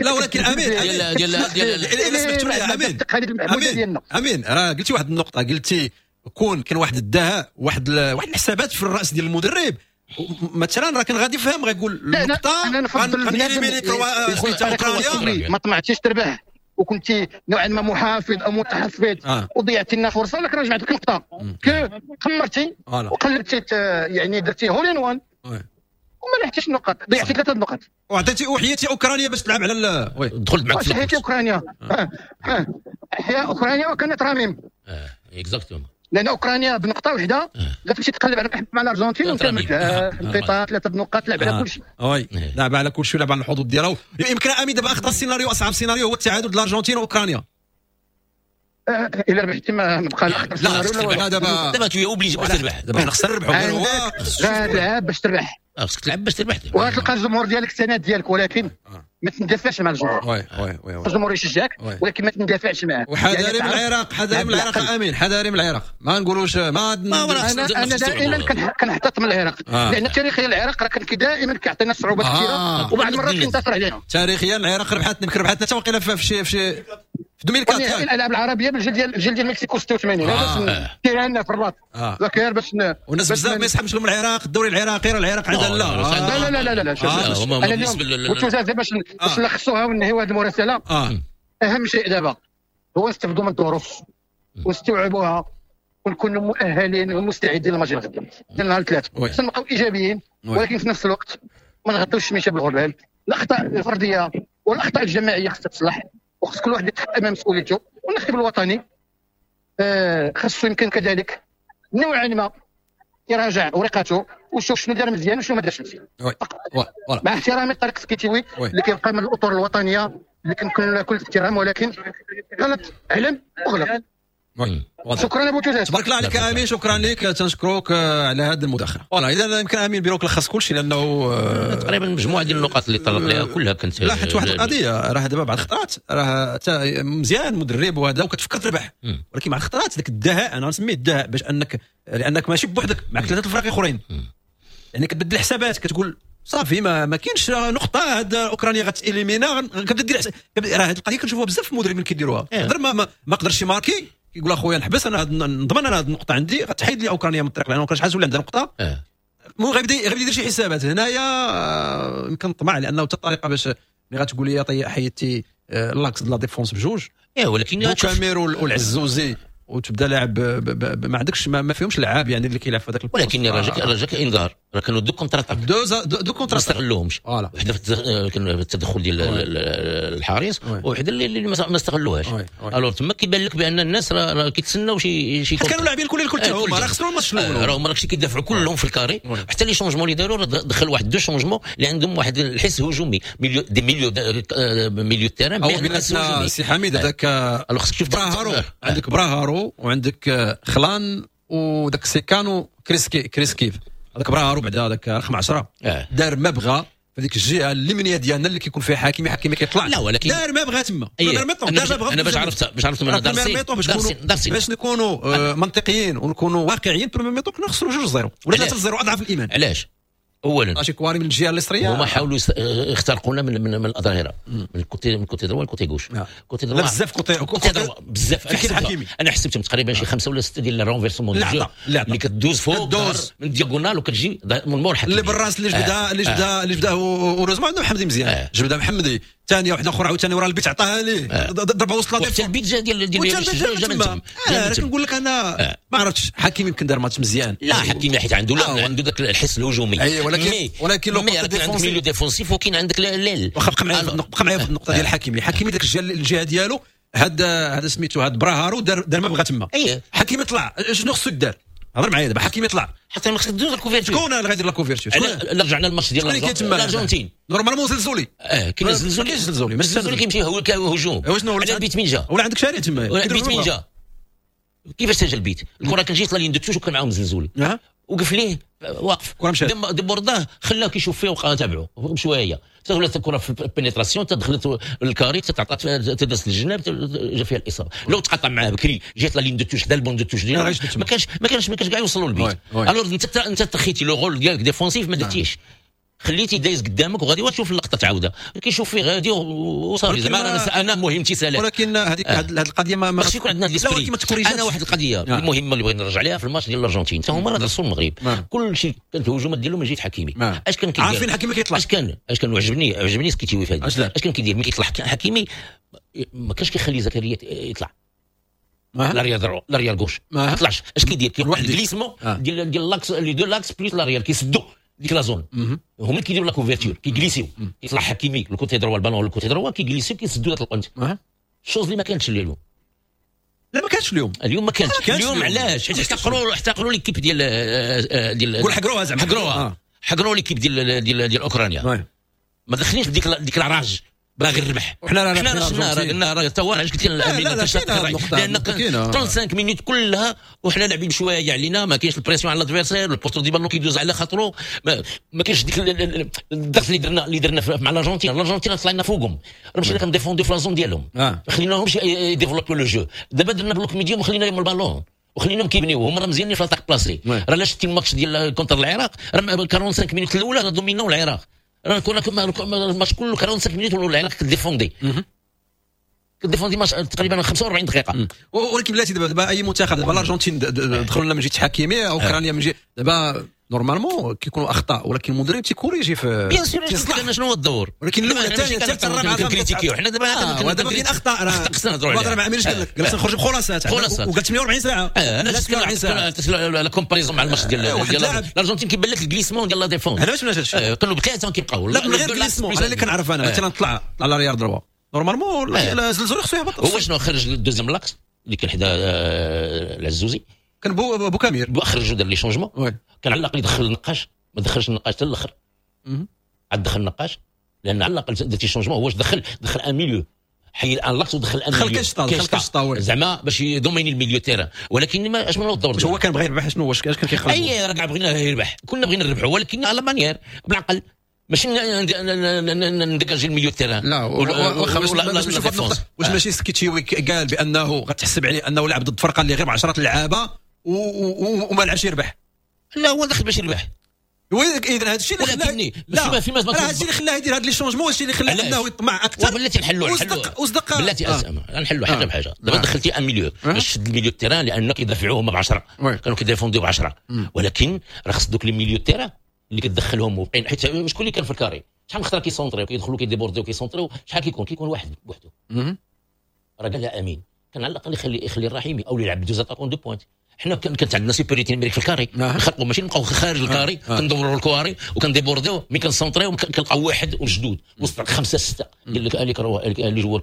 لا ولكن امين ديال ديال ديال امين امين امين راه قلتي واحد النقطة، قلتي كون كان واحد الدهاء، واحد واحد الحسابات في الراس ديال المدرب مثلا، راه كان غادي يفهم غيقول النقطة غنإليميني اوكرانيا. ما طمعتيش تربح وكنتي نوعا ما محافظ او متحفظ آه. وضيعتي لنا فرصة، لكن رجعت لك نقطة قمرتي وقلبتي، يعني درتي hole in one وما لحقتيش النقاط، ضيعتي ثلاثة النقاط وعطيتي وحياتي اوكرانيا باش تلعب على oui دخلت معك في حياتي اوكرانيا. آه. آه. حيا اوكرانيا وكانت راميم اه exactement، لان اوكرانيا بنقطة واحدة غتمشي تقلب على مع الارجنتين وكملت نقطة ثلاثة نقاط، لعب على كل شيء. oui لعب على كل شيء، لعب على الحظوظ ديالو. يمكن امين دابا اخطر سيناريو، اصعب سيناريو هو التعادل ديال الارجنتين واوكرانيا. الا ربحتي ما بقى لا لا لا دابا دابا tu es obligé باش تربح، دابا حنا خصنا نربحوا. غير هو غتلعب باش تربح، خصك تلعب باش تربح، وغتلقى الجمهور ديالك السند ديالك، ولكن ما تندافعش مع الجمهور. oui oui oui الجمهور يشجعك ولكن ما تندافعش معاه. وحذاري من العراق، حذاري من العراق امين، حذاري من العراق، ما نقولوش ما انا انا دائما كنحتط من العراق، لان تاريخيا العراق راه كان دائما كيعطينا صعوبات كثيرة، وبعض المرات كينتصر علينا. تاريخيا العراق ربحتنا، يمكن ربحتنا حتى وقيله في شي في شي في ألفين وأربعة الالعاب العربية بالجيل ديال الجيل ديال مكسيكو ستة وثمانين. هذا terrain في الرباط ذاك باش والناس بزاف ما يسحبش لهم العراق، الدوري العراقي راه العراق عندها لا لا لا لا لا لا. انا اليوم باش باش نلخصوها وننهيو هذه المراسله، اهم شيء دابا هو نستافدوا من الظروف ونستوعبوها ونكونوا مؤهلين ومستعدين للماتش الغدا ديال نهار الثلاث. خصنا نبقاو ايجابيين ولكن في نفس الوقت ما نغطيوش الشميشه بالغربال. الاخطاء الفردية والاخطاء الجماعية خصها تصلح، وخص كل واحد يتحط امام مسؤوليته. والناخب الوطني آه خصو يمكن كذلك نوعا ما يراجع ورقته ويشوف شنو دار مزيان وشنو ما دارش مزيان. مع احترامي لطارق السكيتيوي اللي كيبقى من الاطر الوطنية اللي كنكون كل احترام، ولكن غلط علم وغلط. شكرا ابو توزاز، تبارك الله عليك امين، شكرا لك، تنشكروك على هذه المداخلة. voilà اذا يمكن امين بيروك لخص كل شيء لانه تقريبا مجموعة ديال النقاط اللي طرق لها كلها كانت. لا حيت واحد القضية راه دابا بعض الخطرات راه مزيان مدرب وهذا وكتفكر تربح، ولكن مع الخطرات ذاك الدهاء انا نسميه الدهاء، باش انك لانك ماشي بوحدك معك ثلاثة الفرق اخرين، يعني كتبدل الحسابات، كتقول صافي ما ما كاينش نقطة، هاد اوكرانيا غت éliminer، كتبدا دير. راه هاد القضية كنشوفوها بزاف في المدربين كيديروها، يقدر ما ما, ما قدرش يماركي يقول اخويا نحبس انا نضمن انا هاد النقطة عندي غتحيد لي اوكرانيا من الطريق، لان اوكرانيا شحال ولا عندها نقطة. المهم غيبدا غيبدا يدير شي حسابات هنايا يمكن طمع، لانه حتى الطريقة باش ملي غتقول لي طي حيدتي l'axe de la défense بجوج، ايه ولكن بوكامير والعزوزي وتبدا لاعب ما عندكش ما, ما فيهمش لعاب يعني اللي كيلعب في هذاك. ولكن راه جاك راه جاك انذار، راه كانوا deux contre-attaques، deux deux contre-attaques ما استغلوهمش، وحده في التدخل ديال الحارس وحده اللي ما استغلوهاش. alors تما كيبان لك بان الناس راه كيتسناو شي شي كانوا لاعبين الكل الكل هما راه خسروا الماتش الاول، راه هما راكشي كيدافعوا كلهم في ال carré. حتى les changements اللي داروا دخل واحد deux changements اللي عندهم واحد الحس هجومي، milieu des milieux milieu terrain. او بيناتنا سي حميد هذاك براهارو، عندك براهارو وعندك خلان وداك سيكانو كريسكي كريسكيف، هذاك براهارو بعدا هذاك رقم عشرة دار ما بغى في ديك الجهة اليمنية ديالنا اللي كيكون فيها حكيمي، حكيمي كيطلع لا ولكن دار ما بغى تما. انا انا باش عرفت باش عرفت من دارسي باش باش نكونوا منطقيين ونكونوا واقعيين، première mi-temps كنا نخسروا جوج zéro ولا ثلاثة zéro اضعف الايمان. علاش؟ اولا شي كواري من الجهة اليسريه هما حاولوا يخترقونا من من, من الاظهرة، من ال côté من côté droit ل côté gauche. côté droit بزاف côté côté droit بزاف. انا حسبتهم تقريبا شي خمسة ولا ستة ديال ال renversements اللي كدوز فوق من diagonale وكتجي من مور حكيمي اللي بالراس اللي جبدها اللي جبدها اللي جبدها heureusement عندنا محمدي مزيان، جبدها محمدي ثانية واحدة اخرى عاوتاني ورا البيت عطاها ليه ضربه وسط la حتى البيت جا ديال ديال جا من تما. انا كنقول لك انا ما عرفتش حكيمي يمكن دار ماتش مزيان. لا حكيمي حيت عنده عنده ذاك الحس الهجومي، اي ولكن ولكن le côté défensif milieu défensif وكاين عندك l'aile. واخا بقى معايا بقى معايا في النقطة ديال حكيمي. حكيمي داك الجهة ديالو هذا هذا سميتو هذا براهارو دار دار ما بغى تما. حكيمي طلع شنو خصو يدار؟ هضر معايا دابا. حكيمي طلع حتى ما خصك دوز ال couverture. شكون اللي غيدير la couverture؟ رجعنا الماتش ديال الارجنتين normalement زلزولي. اه كاين زلزولي، كاين زلزولي، ماشي زلزولي كيمشي هو هجوم. على البيت مين جا؟ ولا عندك شارع تما البيت مين جا؟ كيفاش سجل البيت؟ الكره كان جات la ligne de touche وكان معاهم زلزولي وقف ليه واقف débordé خلاه كيشوف فيه وبقى تابعه بشوية حتى ولات الكره في ال pénétration تدخلت ال carré تعطات تدرس للجناب جا فيها الاصابة. لو تقاطع معاه بكري جات la ligne de touche حدا ال banc de touche ديالو ما كانش ما كانش ما كانش كاع يوصلوا للبيت. alors انت انت تخيتي le rôle ديالك défensif ما درتيش، خليتي دايز قدامك وغادي وتشوف اللقطة تعاودها كيشوف فيه غادي وصافي زعما انا مهمتي سالات. ولكن هذيك هذه القضية ما خصش يكون عندنا l'esprit. انا واحد القضية آه. المهمة اللي بغيت نرجع عليها في الماتش ديال الارجنتين حتى هما راه درسوا المغرب آه. كل شيء كانت الهجومات ديالهم من جهة حكيمي. آه. اش كان كيدير؟ عارفين حكيمي كيطلع. اش كان اش كان عجبني عجبني سكيتيوي في هذه. اش كان كيدير ملي كيطلع حكيمي؟ ما كانش كيخلي زكريا يطلع l'arrière droit l'arrière gauche ما طلعش. اش كيدير؟ كيوقع ال glissement ديال ديال l'axe les deux axes plus l'arrière كيسدوا ديك la zone. هما اللي كيديروا la couverture كيجليسيو كيطلع حكيمي ال côté droit ال ballon ال côté droit كيجليسيو كيسدوا ذاك القنت. chose اللي ما كانتش اليوم. لا ما كانتش اليوم. اليوم ما كانتش اليوم. علاش؟ حيت احتقروا احتقروا l'équipe ديال ديال قول حقروها زعما حقروها حقروا l'équipe ديال ديال ديال اوكرانيا. ما دخلنيش بديك ديك la rage باغي الربح. حنا حنا شفنا راه قلنا راه تا هو علاش قلت لك لان خمسة وثلاثين minutes كلها وحنا لاعبين بشوية علينا، ما كاينش ال pression على l'adversaire، ال porteur du ballon كيدوز على خاطرو، ما, ما كاينش ديك الضغط اللي درنا اللي درنا مع الارجنتين. الارجنتين طلعنا فوقهم، راه مشينا كنديفونديو في la zone ديالهم، ما خليناهمش يديفلوبيو le jeu. دابا درنا bloc médium وخلينا لهم البالون وخليناهم كيبنيو، هما راه مزيانين في l'attaque placée. راه لا شتي الماتش ديال contre العراق راه خمسة وأربعين minutes الاولى راه دوميناو العراق، راه كنا الماتش كله خمسة وأربعين minutes ولا العراق كديفوندي كديفوندي ماتش تقريبا خمسة وأربعين دقيقة. ولكن بلاتي دابا اي منتخب دابا الارجنتين دخلوا لنا من جهة حكيمي، اوكرانيا من جهة، دابا normalement كيكونوا اخطاء ولكن المدرب تيكوريجي في bien sûr. شنو هو الدور؟ ولكن الاولى الثانية الثالثة الرابعة كنكريتيكيو حنا دابا. دابا كاين اخطاء راه خصنا نهضروا عليها. راه ما عملش قال لك قال نخرج بخلاصات وقال ثمانية وأربعين ساعة. انا la comparaison مع الماتش ديال الارجنتين كيبان لك ال glissement ديال la défense. انا باش ما هادشي كانوا بثلاثة كيبقاو. لا من غير glissement، انا اللي كنعرف انا مثلا طلع طلع l'arrière droit normalement الزلزولي خصو يهبط. هو شنو خرج ال deuxième l'axe اللي كان حدا العزوزي، كان بو بوكامير خرجوا دار les changements. كان على الاقل يدخل النقاش، ما دخلش النقاش حتى الاخر، عاد دخل النقاش لان على الاقل درتي changement. هو دخل دخل un milieu، حيد un l'axe ودخل un milieu، دخل كشطا زعما باش يدوميني ال milieu terrain. ولكن ما اش من الدور هو كان بغى يربح؟ شنو واش كان كيخلص؟ اي راه بغينا يربح، كنا بغينا نربحوا ولكن à la manière بالعقل، ماشي نديكاجي ال milieu terrain. لا واخا واش ماشي سكيتشيوي قال بانه غتحسب عليه انه لعب ضد فرقه اللي غير بعشرة لعابه وما لعبش يربح؟ لا هو دخل باش يربح. اذا هذا الشيء اللي خلاه، لا هذا الشيء اللي خلاه يدير هاد les changements، الشيء اللي خلاه انه يطمع اكثر. بلاتي نحلوا وصدق بلاتي نحلوا حاجة بحاجة. دابا دخلتي un milieu باش تشد ال milieu terrain لان كيدافعوا هما بعشرة، كانوا كيديفونديو بعشرة، ولكن راه خص دوك les milieux terrain اللي كتدخلهم وبقين، حيت شكون اللي كان في ال carré؟ شحال من خطره كيسونطريو كيدخلوا كيديبورديو كيسونطريو، شحال كيكون كيكون واحد بوحدو. راه قال لها امين كان على الاقل يخلي يخلي الرحيمي او يلعب deux attaquants de pointe. حنا كانت عندنا supériorité numérique في ال carré، نخلقوا ماشي نبقاو خارج ال carré كندوروا ال carré وكنديبورديو، mais كنسونطريو كنلقاو واحد وجدود وسط خمسة ستة ديال les joueurs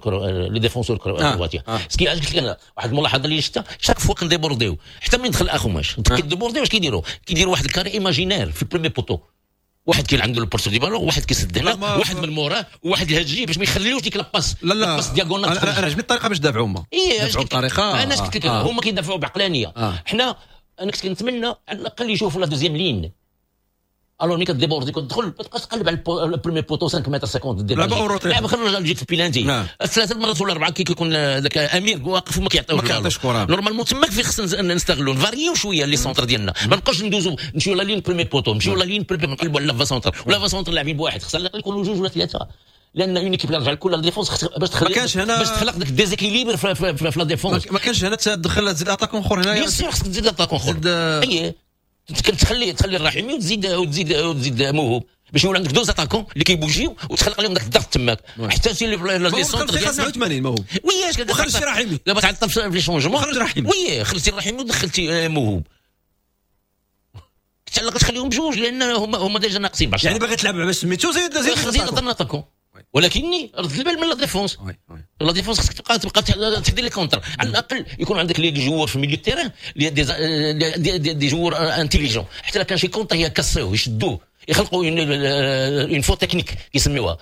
les défenseurs كرواتيا. ce qui علاش قلت لك انا واحد الملاحظة اللي شفتها chaque fois كنديبورديو حتى من دخل اخوماش كيديبورديو واش كيديروا؟ كيديروا واحد ال carré imaginaire في ال premier poteau، واحد كاين عنده ال porteur du ballon، واحد كيسد هنا، واحد من موراه، وواحد الهجي باش ما يخليوش ديك la passe. لا لا passe diagonale. انا انا عجبني الطريقة باش دافعوا هما. اي دافعوا بطريقة انا قلت لك هما كيدافعوا بعقلانيه. حنا انا كنت كنتمنى على الاقل يشوفوا la deuxième ligne. alors ملي كديبوردي كتدخل ما تبقاش تقلب على ال premier poteau خمسة متر خمسين دير لعب لعب خرج جيت البيلانتي ثلاثة المرات ولا اربعة كي كيكون ذاك امير واقف وما كيعطيوش ما كيعطيش كره. normalement تماك فين خصنا نستغلوا نفاريو شوية les centres ديالنا، ما نبقاوش ندوزو نمشيو la ligne premier poteau، نمشيو la ligne premier نقلبوا على l'avant-centre ولا l'avant-centre لاعبين بواحد، خصنا يكونوا جوج ولا ثلاثة لان une équipe رجع لكل la défense باش تخلق باش تخلق داك déséquilibre في la défense. ما كانش هنا تدخل تزيد attaquant اخر هنايا، bien sûr خصك تزيد attaquant اخر. اي تخلي تخلي الرحيمي وتزيد وتزيد وتزيد موهوب باش يولي عندك deux attaquants اللي كيبوجيو وتخلق لهم داك الضغط تماك حتى سي les centres ديال تسعة وثمانين موهوب. oui وخرجتي رحيمي دابا تعطل في les changements، خرج رحيمي. oui خرجتي الرحيمي ودخلتي موهوب، كنت على الاقل تخليهم بجوج لان هما هما déjà ناقصين بعشرة. يعني باغي تلعب باش سميتو زيد زيد زيد attaquant، ولكني رد البال من la défense. la défense خصك تبقى تبقى تدير les contres، على الاقل يكون عندك les joueurs في milieu terrain des des, des joueurs intelligents، حتى لا كان شي contre يكاسيوه يشدوه يخلقوا une faute technique كيسميوها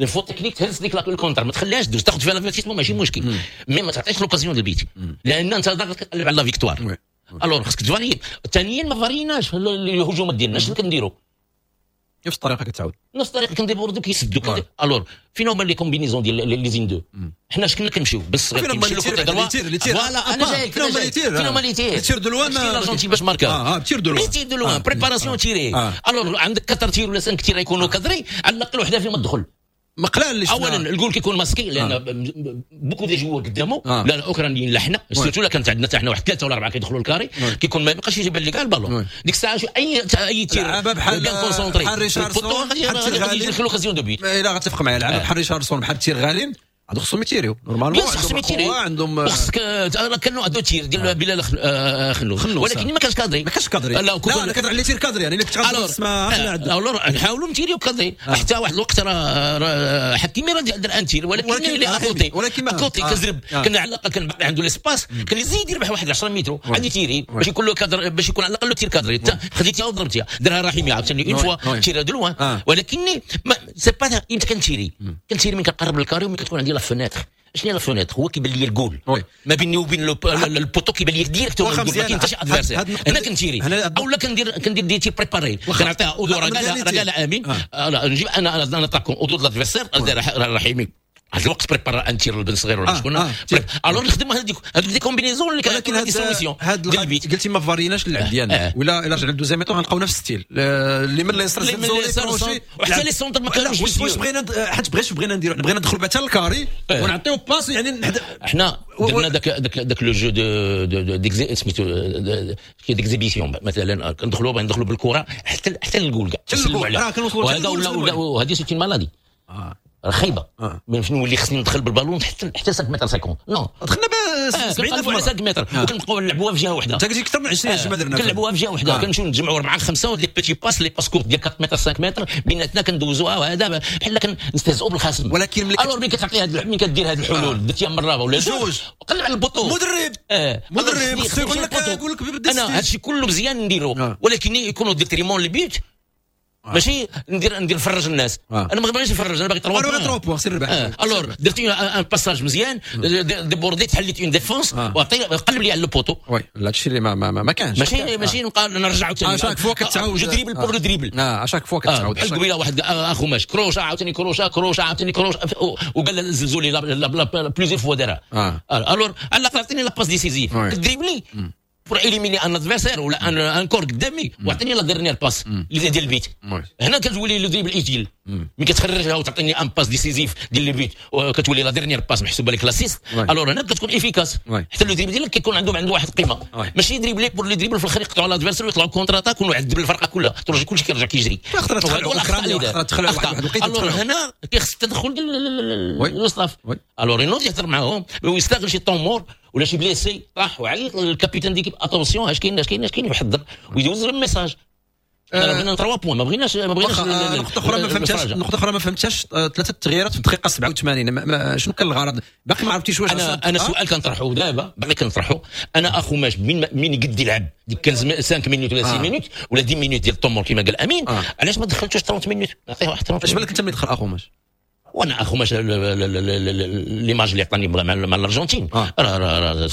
une faute technique، تهرس ديك ال contre ما تخليهاش دوز، تاخذ فيها l'avertissement ماشي مشكل، mais ما تعطيش l'occasion ديال البيت لان انت ضاغط كتقلب على la victoire. alors خصك تفاري. ثانيا ما فاريناش الهجومات ديالنا، شنو كنديروا؟ نفس الطريقة كتعاود، نفس الطريقة كنديبوردو كيسدوا. alors فين هما les combinaisons ديال les une-deux؟ حنا اش كنا كنمشيو بالصغير كيمشيو côté droit. voilà انا جايك فين هما les tirs؟ فين هما les tirs؟ tirs de loin الارجنتين باش ماركا اه tirs de loin les tirs de loin préparation tirée. alors عندك quatre tirs ولا cinq tirs يكونوا cadrés، على الاقل وحده فيهم تدخل. مقلال اللي اولا الجول كيكون masqué لان beaucoup des joueurs قدامه، لا الاوكرانيين لا حنا surtout لا كانت عندنا حتى حنا واحد ثلاثة ولا اربعة كيدخلوا ال carré كيكون ما يبقاش يجيب لك البالون ديك الساعة. اي اي tir بحال bien concentré بحال ريشاردسون غادي يجي l'occasion de but. الا غتفق معايا لعبه بحال ريشاردسون بحال تيرغالين هادو خصهم يتيريو normalement، خصهم يتيريو عندهم خصك كانوا deux tirs ديال بلال خنوس ولكن ما كانش cadré، ما كانش cadré. لا لا كنهضر على tirs cadrés يعني اللي كنت غتسمع alors نحاولوا نتيريو cadré حتى واحد الوقت راه حكيمي راه دار un tir ولكن اللي à côté ولكن à côté كزرب كان على الاقل كان باقي عنده l'espace كان يزيد يربح واحد عشرة متر عاد يتيري باش يكون له cadre باش يكون على الاقل tir cadré. خديتيها وضربتيها دارها رحيمي عاوتاني une fois tir de loin، ولكن c'est pas امتى كنتيري كنتيري من كنقرب لل carré ومن كتكون عندي la fenêtre. شنو هي la fenêtre؟ هو كيبان لي الجول ما بيني وبين ال poteau كيبان لي directement ال goal، ما كاين حتى شي adversaire. هنا كنتيري اولا كندير كندير des tirs préparés كنعطيها au dos راه قال امين نجيب انا انا attaquant au dos l'adversaire رحيمي هذا الوقت prépara un tir البن صغير ولا شكون. alors نخدموا هذيك هذوك des combinaisons اللي ولكن des solutions. هاد قلتي ما فاريناش اللعب ديالنا، ولا الا رجعنا لل deuxième mi-temps غنلقاو نفس style اللي من اليسار الزلزولي وحتى les centres ما كانوش. واش بغينا حيت بغيت بغينا نديرو بغينا ندخلوا بعدا ال carré ونعطيو passe، يعني حنا درنا داك داك داك le jeu de de سميتو d'exhibition مثلا، كندخلوا بغينا ندخلوا بالكرة حتى حتى للجول كاع نسلموا عليها، وهذا ولا وهذه c'est une maladie خايبة. آه. من شنو اللي خصني ندخل بالبالون حتى حتى خمسة متر خمسين non دخلنا ب سبعين على خمسة متر وكنبقاو نلعبوها في جهة واحدة. انت قلتي اكثر من عشرين جمعه درنا كنلعبوها في جهة واحدة، كنمشيو نتجمعوا اربعة خمسة les petites passes les passes courtes ديال أربعة متر خمسة متر بيناتنا كندوزوها، وهذا بحال كنستهزئوا بالخصم. ولكن ملي alors ملي كتعطي هاد ملي كدير هاد الحلول درتيها مرة ولا جوج قلب على ال poteau مدرب اه مدرب خصو يقول لك يقول لك انا هادشي كله مزيان نديرو، ولكن يكونوا détriment les buts، ماشي ندير ندير نفرج الناس. آه. انا ما باغيش نفرج، انا باغي trois انا باغي trois points سير ربح. آه. alors درت un passage مزيان débordé تحليت une défense وعطي قلب لي على le poteau. oui هادشي اللي ما ما, ما كانش. ماشي ماشي نبقى نرجع عاوتاني à chaque fois كتعاود je dribble pour le dribble. اه à chaque fois كتعاود بحال قبيلة واحد اخوماش كروشه عاوتاني كروشه كروشه عاوتاني كروشه وقال الزلزولي la plusieurs fois دارها. alors على الاقل عطيني la passe décisive dribbler pour éliminer un adversaire ولا un un corps قدامي واعطيني la dernière passe اللي ديال ال but. هنا كتولي le dribble utile ملي كتخرجها وتعطيني une passe décisive ديال le but وكتولي la dernière passe محسوبة لك l'assist. alors هنا كتكون efficace، حتى le dribble ديالك كيكون عنده عنده واحد القيمة، ماشي dribbler pour le dribbler في الاخر يقطعوا l'adversaire ويطلعوا contre-attaque ويعذب الفرقة كلها، ترجع كلشي كيرجع كيجري. alors هنا كيخص التدخل ديال ال staff. alors ينوض يهضر معاهم ويستغل شي temps mort ولا شي blessé طاح وعيط لل capitaine d'équipe attention اش كاين اش كاين اش كاين، يحضر ويدوز ال message. حنا بغينا ثلاثة points، ما بغيناش ما بغيناش. نقطة أخرى ما فهمتهاش، نقطة أخرى ما فهمتهاش، ثلاثة التغييرات في الدقيقة سبعة وثمانين، شنو كان الغرض؟ باقي ما عرفتيش واش. أنا أنا سؤال كنطرحه دابا باقي كنطرحه، أنا أخوماش من من يقد يلعب ديك خمسة minutes ولا ستة minutes ولا عشرة minutes ديال ال temps mort كما قال أمين، علاش ما دخلتوش ثلاثين minutes؟ نعطيه واحد ثلاثين. اش بالك أنت ملي دخل أخوماش؟ وانا اخوماش l'image اللي عطاني مع الارجنتين راه راه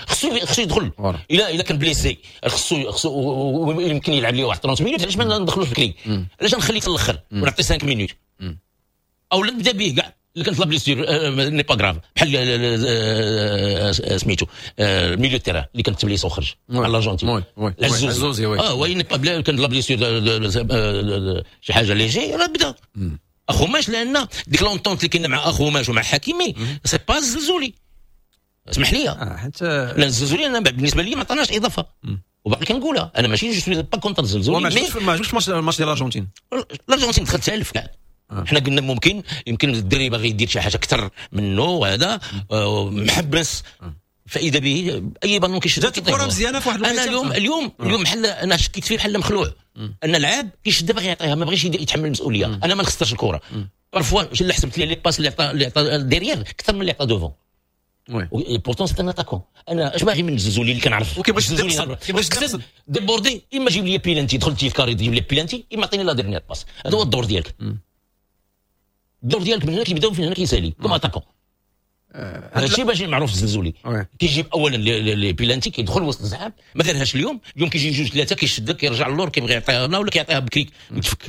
خصو خصو يدخل الا الا كان blessé خصو خصو يمكن يلعب ليه واحد ثلاثين minutes. علاش ما ندخلوش بكري؟ علاش نخليه حتى الاخر ونعطي خمسة minutes او لا نبدا به كاع اللي كانت la blessure n'est pas grave بحال سميتو ال milieu terrain اللي كانت blessé وخرج مع الارجنتين العزوزي. اه oui n'est pas كانت la blessure شي حاجة léger راه بدا اخوماش، لان ديك l'entente اللي كاينه مع اخوماش ومع حكيمي c'est pas الزلزولي. اسمح لي آه حتى لان الزلزولي انا بالنسبة لي ما عطاناش اضافه، وباقي كنقولها انا ماشي je suis pas contre الزلزولي. ما عجبكش الماتش ديال الارجنتين؟ الارجنتين دخلت تالف كاع. حنا قلنا ممكن يمكن الدري باغي يدير شي حاجة اكثر منه وهذا محبس، فاذا به اي بالون كيشد جات الكره مزيانه في واحد انا اليوم اليوم اليوم بحال انا شكيت فيه بحال مخلوع ان لعاب كيشد باغي يعطيها ما بغيش يتحمل المسؤولية. انا ما نخسرش الكره parfois اللي حسبت لي les passes اللي عطى اللي عطى derrière اكثر من اللي عطى devant. oui pourtant c'est un attaquant. انا اش باغي من الزلزولي اللي كنعرف وكيبغيش كيبغيش déborder، اما جيب لي بيلانتي دخلتي في carré جيب لي بيلانتي، اما عطيني la dernière passe. هذا هو الدور ديالك، الدور ديالك من هنا كيبدا ومن هنا كيسالي comme attaquant. هذا الشيء باش معروف الزلزولي كيجيب اولا les pénaltys كيدخل وسط الزحام، ما دارهاش اليوم. اليوم كيجي جوج ثلاثة كيشدك كيرجع للور كيبغي يعطيها لنا ولا كيعطيها بكري يتفك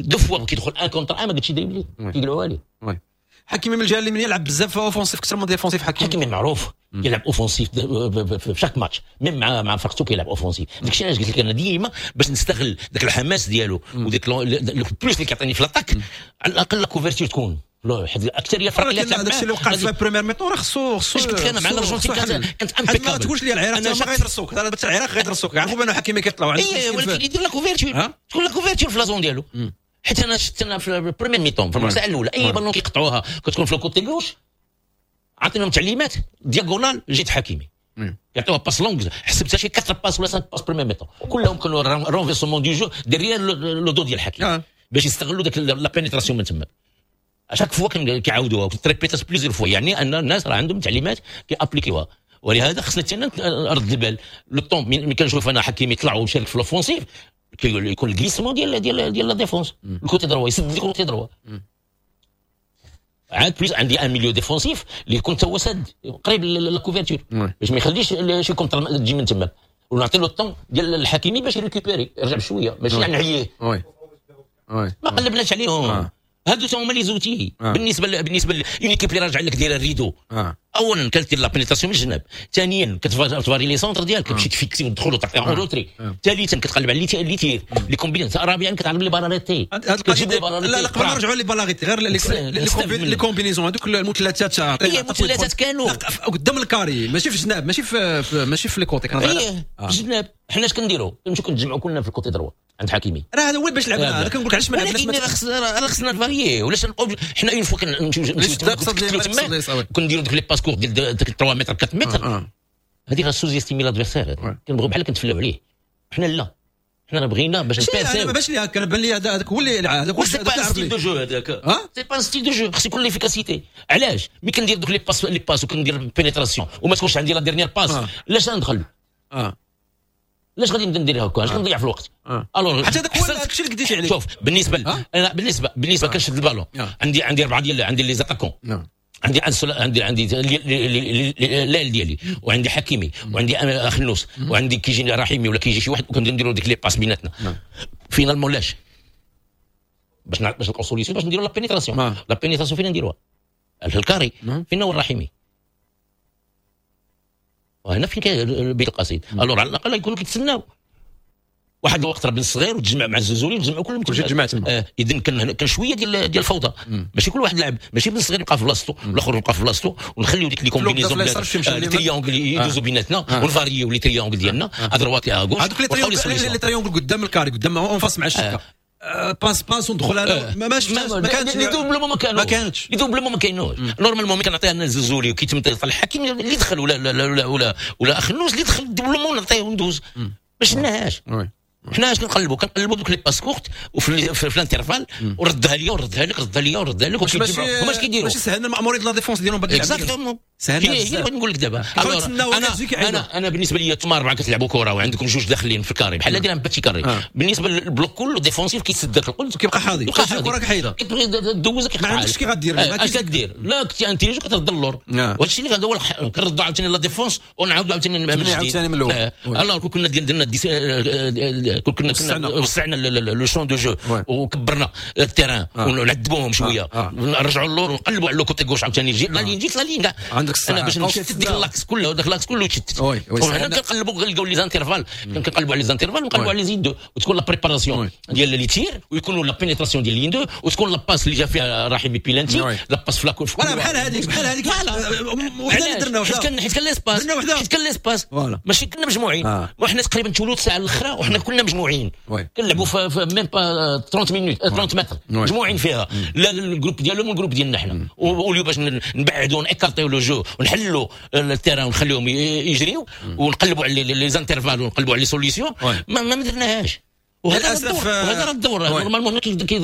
deux fois كيدخل un contre un ما قلتش dribbler كيقلعوها ليه. حكيمي من الجهة اليمين يلعب بزاف offensif اكثر من défensif. حكيمي حكيمي معروف كيلعب offensif في chaque match même مع مع فرقته كيلعب offensif. داكشي علاش قلت لك انا ديما باش نستغل داك الحماس ديالو وديك plus اللي كيعطيني في l'attaque، على الاقل la couverture تكون حيت الاكثرية الفرق اللي تلعب داكشي اللي وقع في première mi-temps راه خصو خصو اش قلت لك انا مع الارجنتين كانت كانت impeccable. ما تقولش لي العراق ما غيدرسوك، العراق غيدرسوك عرفوا بان حكيمي كيطلعوا عندك. اي ولكن يدير la couverture، تكون la couverture في la zone ديالو. حيت انا شفت انا في ال première mi-temps في الربع ساعة الاولى اي بالون كيقطعوها كتكون في ال côté gauche عطيناهم تعليمات diagonale جيت حكيمي يعطيوها passe longue، حسبتها شي أربعة passes ولا خمسة passes première mi-temps كلهم كانوا renversement du jeu derrière le dos ديال حكيمي باش يستغلوا داك la pénétration من تما. chaque fois كيعاودوها تريبيتات plusieurs fois، يعني ان الناس راه عندهم تعليمات كي appliquer وها. ولهذا خصنا حتى نرد البال le temps ملي كنشوف انا حكيمي يطلع ويشارك في l'offensive كيكون ال glissement ديال ديال ديال la défense ال côté droit يسد ال côté droit. عاد plus عندي un milieu défensif اللي يكون تا هو ساد قريب la couverture باش ما يخليش شي contre تجي من تما، ونعطي له ال temps ديال الحكيمي باش ي récupérer يرجع بشوية ماشي نعييه. oui oui ما قلبناش عليهم. هادو هما les outils آه. بالنسبة ل... بالنسبة une équipe اللي راجع لك دايرة ال rideau. آه. اولا كدير la pénétration من الجناب، ثانيا كتفاري les centres ديالك، كتمشي تفيكسي وتدخل وتعطي en retrait، ثالثا كتقلب على les tirs les combinaisons، رابعا كتعلم les balles arrêtées. كتجيب les balles arrêtées. لا لا، قبل ما نرجعوا les balles arrêtées، غير les combinaisons هذوك المثلثات. هي المثلثات كانوا قدام ال carré، ماشي في الجناب، ماشي في ماشي في les côtés. كان في الجناب. حنا اش كنديروا؟ كنمشيو كنتجمعوا كلنا في ال côté droit عند حكيمي. راه هذا هو باش لعبنا. انا كنقول لك علاش ما لعبناش. ولكن راه خصنا نفاريي ولاش نبقاو حنا une fois كنمشيو تما كنديروا دوك les passes courtes ديال ثلاثة متر أربعة متر، هذه راه sous-estimer l'adversaire. كنبغيو بحال كنتفلاو عليه. حنا لا، حنا بغينا باش نباسيو. باش لي هكا بان لي هذاك هو اللي هذاك هو c'est pas style de jeu هذاك، c'est pas style de jeu. خص يكون l'efficacité. علاش ملي كندير دوك les passes les passes وكندير pénétration وما تكونش عندي la dernière passe، علاش ندخل؟ اه علاش غادي نبدا ندير هكا؟ علاش كنضيع في الوقت؟ alors حتى هذاك هو الشيء اللي قديتي عليه. شوف بالنسبة انا بالنسبة بالنسبة كنشد البالون، عندي عندي اربعة ديال، عندي les attaquants، عندي عندي عندي l'aile ديالي، وعندي حكيمي، وعندي اخنوس، وعندي كيجي رحيمي ولا كيجي شي واحد، وكنديروا ديك les passes بيناتنا. finalement لاش باش باش نلقاو solution باش نديروا la pénétration. la pénétration فين نديروها؟ في ال carré. فين هو الرحيمي؟ وهنا فين كاين بيت القصيد. alors على الاقل يكونوا كيتسناو واحد الوقت، راه بن الصغير وتجمع مع الزلزولي وتجمعوا كلهم. كلشي تجمع تما. آه اذا كان كان شوية ديال ديال الفوضى، ماشي كل واحد لعب، ماشي بن الصغير يبقى في بلاصتو والاخر يبقى في بلاصتو، ونخليو ديك les combinaisons، les triangles يدوزوا بيناتنا، ونفاريو les triangles ديالنا à droite à gauche. هذوك les triangles قدام ال carré، قدام en face مع الشبكه، passe passe وندخل. انا ما ماشي ما كانتش les doublements، ما كانوش ما كانتش les doublements، ما كاينوش. normalement ملي كنعطيها انا الزلزولي وكيتم الحكيم اللي دخل ولا ولا ولا ولا, ولا اخنوس اللي دخل doublement نعطيه وندوز، ما شفناهاش. حنا اش كنقلبوا؟ كنقلبوا دوك les passes courtes وفي في l'intervalle، وردها ليا وردها لك، ردها ليا وردها لك، وكيتجمعوا. هما اش كيديروا؟ ماشي سهلنا المأمورية la défense ديالهم. exactement، سهلنا. هي اللي بغيت نقول لك دابا. انا انا انا بالنسبة لي انتم اربعة كتلعبوا كره وعندكم جوج داخلين في ال carré بحال داير petit carré. بالنسبة لل bloc كله défensif كيتسد داك القلت. كيبقى حاضي. كيبقى الكره كحيده. كتبغي دوزك. ما عندكش كي غدير. اش كدير؟ لا كنتي intelligent كترد اللور. وهذا الشيء اللي هذا هو، كنردوا عاوتاني la défense ونعاودوا عاوتاني من جديد، عاوتاني من الاول. alors كنا درنا كنا كنا وسعنا le champ de jeu وكبرنا ال terrain ونعذبوهم شويه، نرجعوا اللور ونقلبوا على le côté gauche عاوتاني la ligne جيت la ligne كاع. عندك انا باش نشتت ديك l'axe كله، داك l'axe كله يتشتت. وحنا كنقلبوا نلقاو les intervalles، كنقلبوا على les intervalles ونقلبوا على les lignes deux، وتكون la préparation ديال les tirs، ويكونوا la pénétration ديال ligne deux، وتكون la passe اللي جا فيها رحيمي pénalty، la passe في la voilà بحال هذيك بحال هذيك وحده اللي درنا. حيت كان حيت كان l'espace، حيت كان l'espace، ماشي كنا مجموعين. وحنا تقريبا ثلث ساعة الاخرى وحنا كنا مجموعين كنلعبوا في même pas ثلاثين minutes، ثلاثين متر مجموعين فيها، لا ال groupe ديالهم وال groupe ديالنا حنا. واليوم باش نبعدوا نكارطيو le jeu ونحلوا ال terrain ونخليهم يجريو ونقلبوا على les intervalles ونقلبوا على les solutions، ما, ما درناهاش. وهذا الدور، وهذا الدور normalement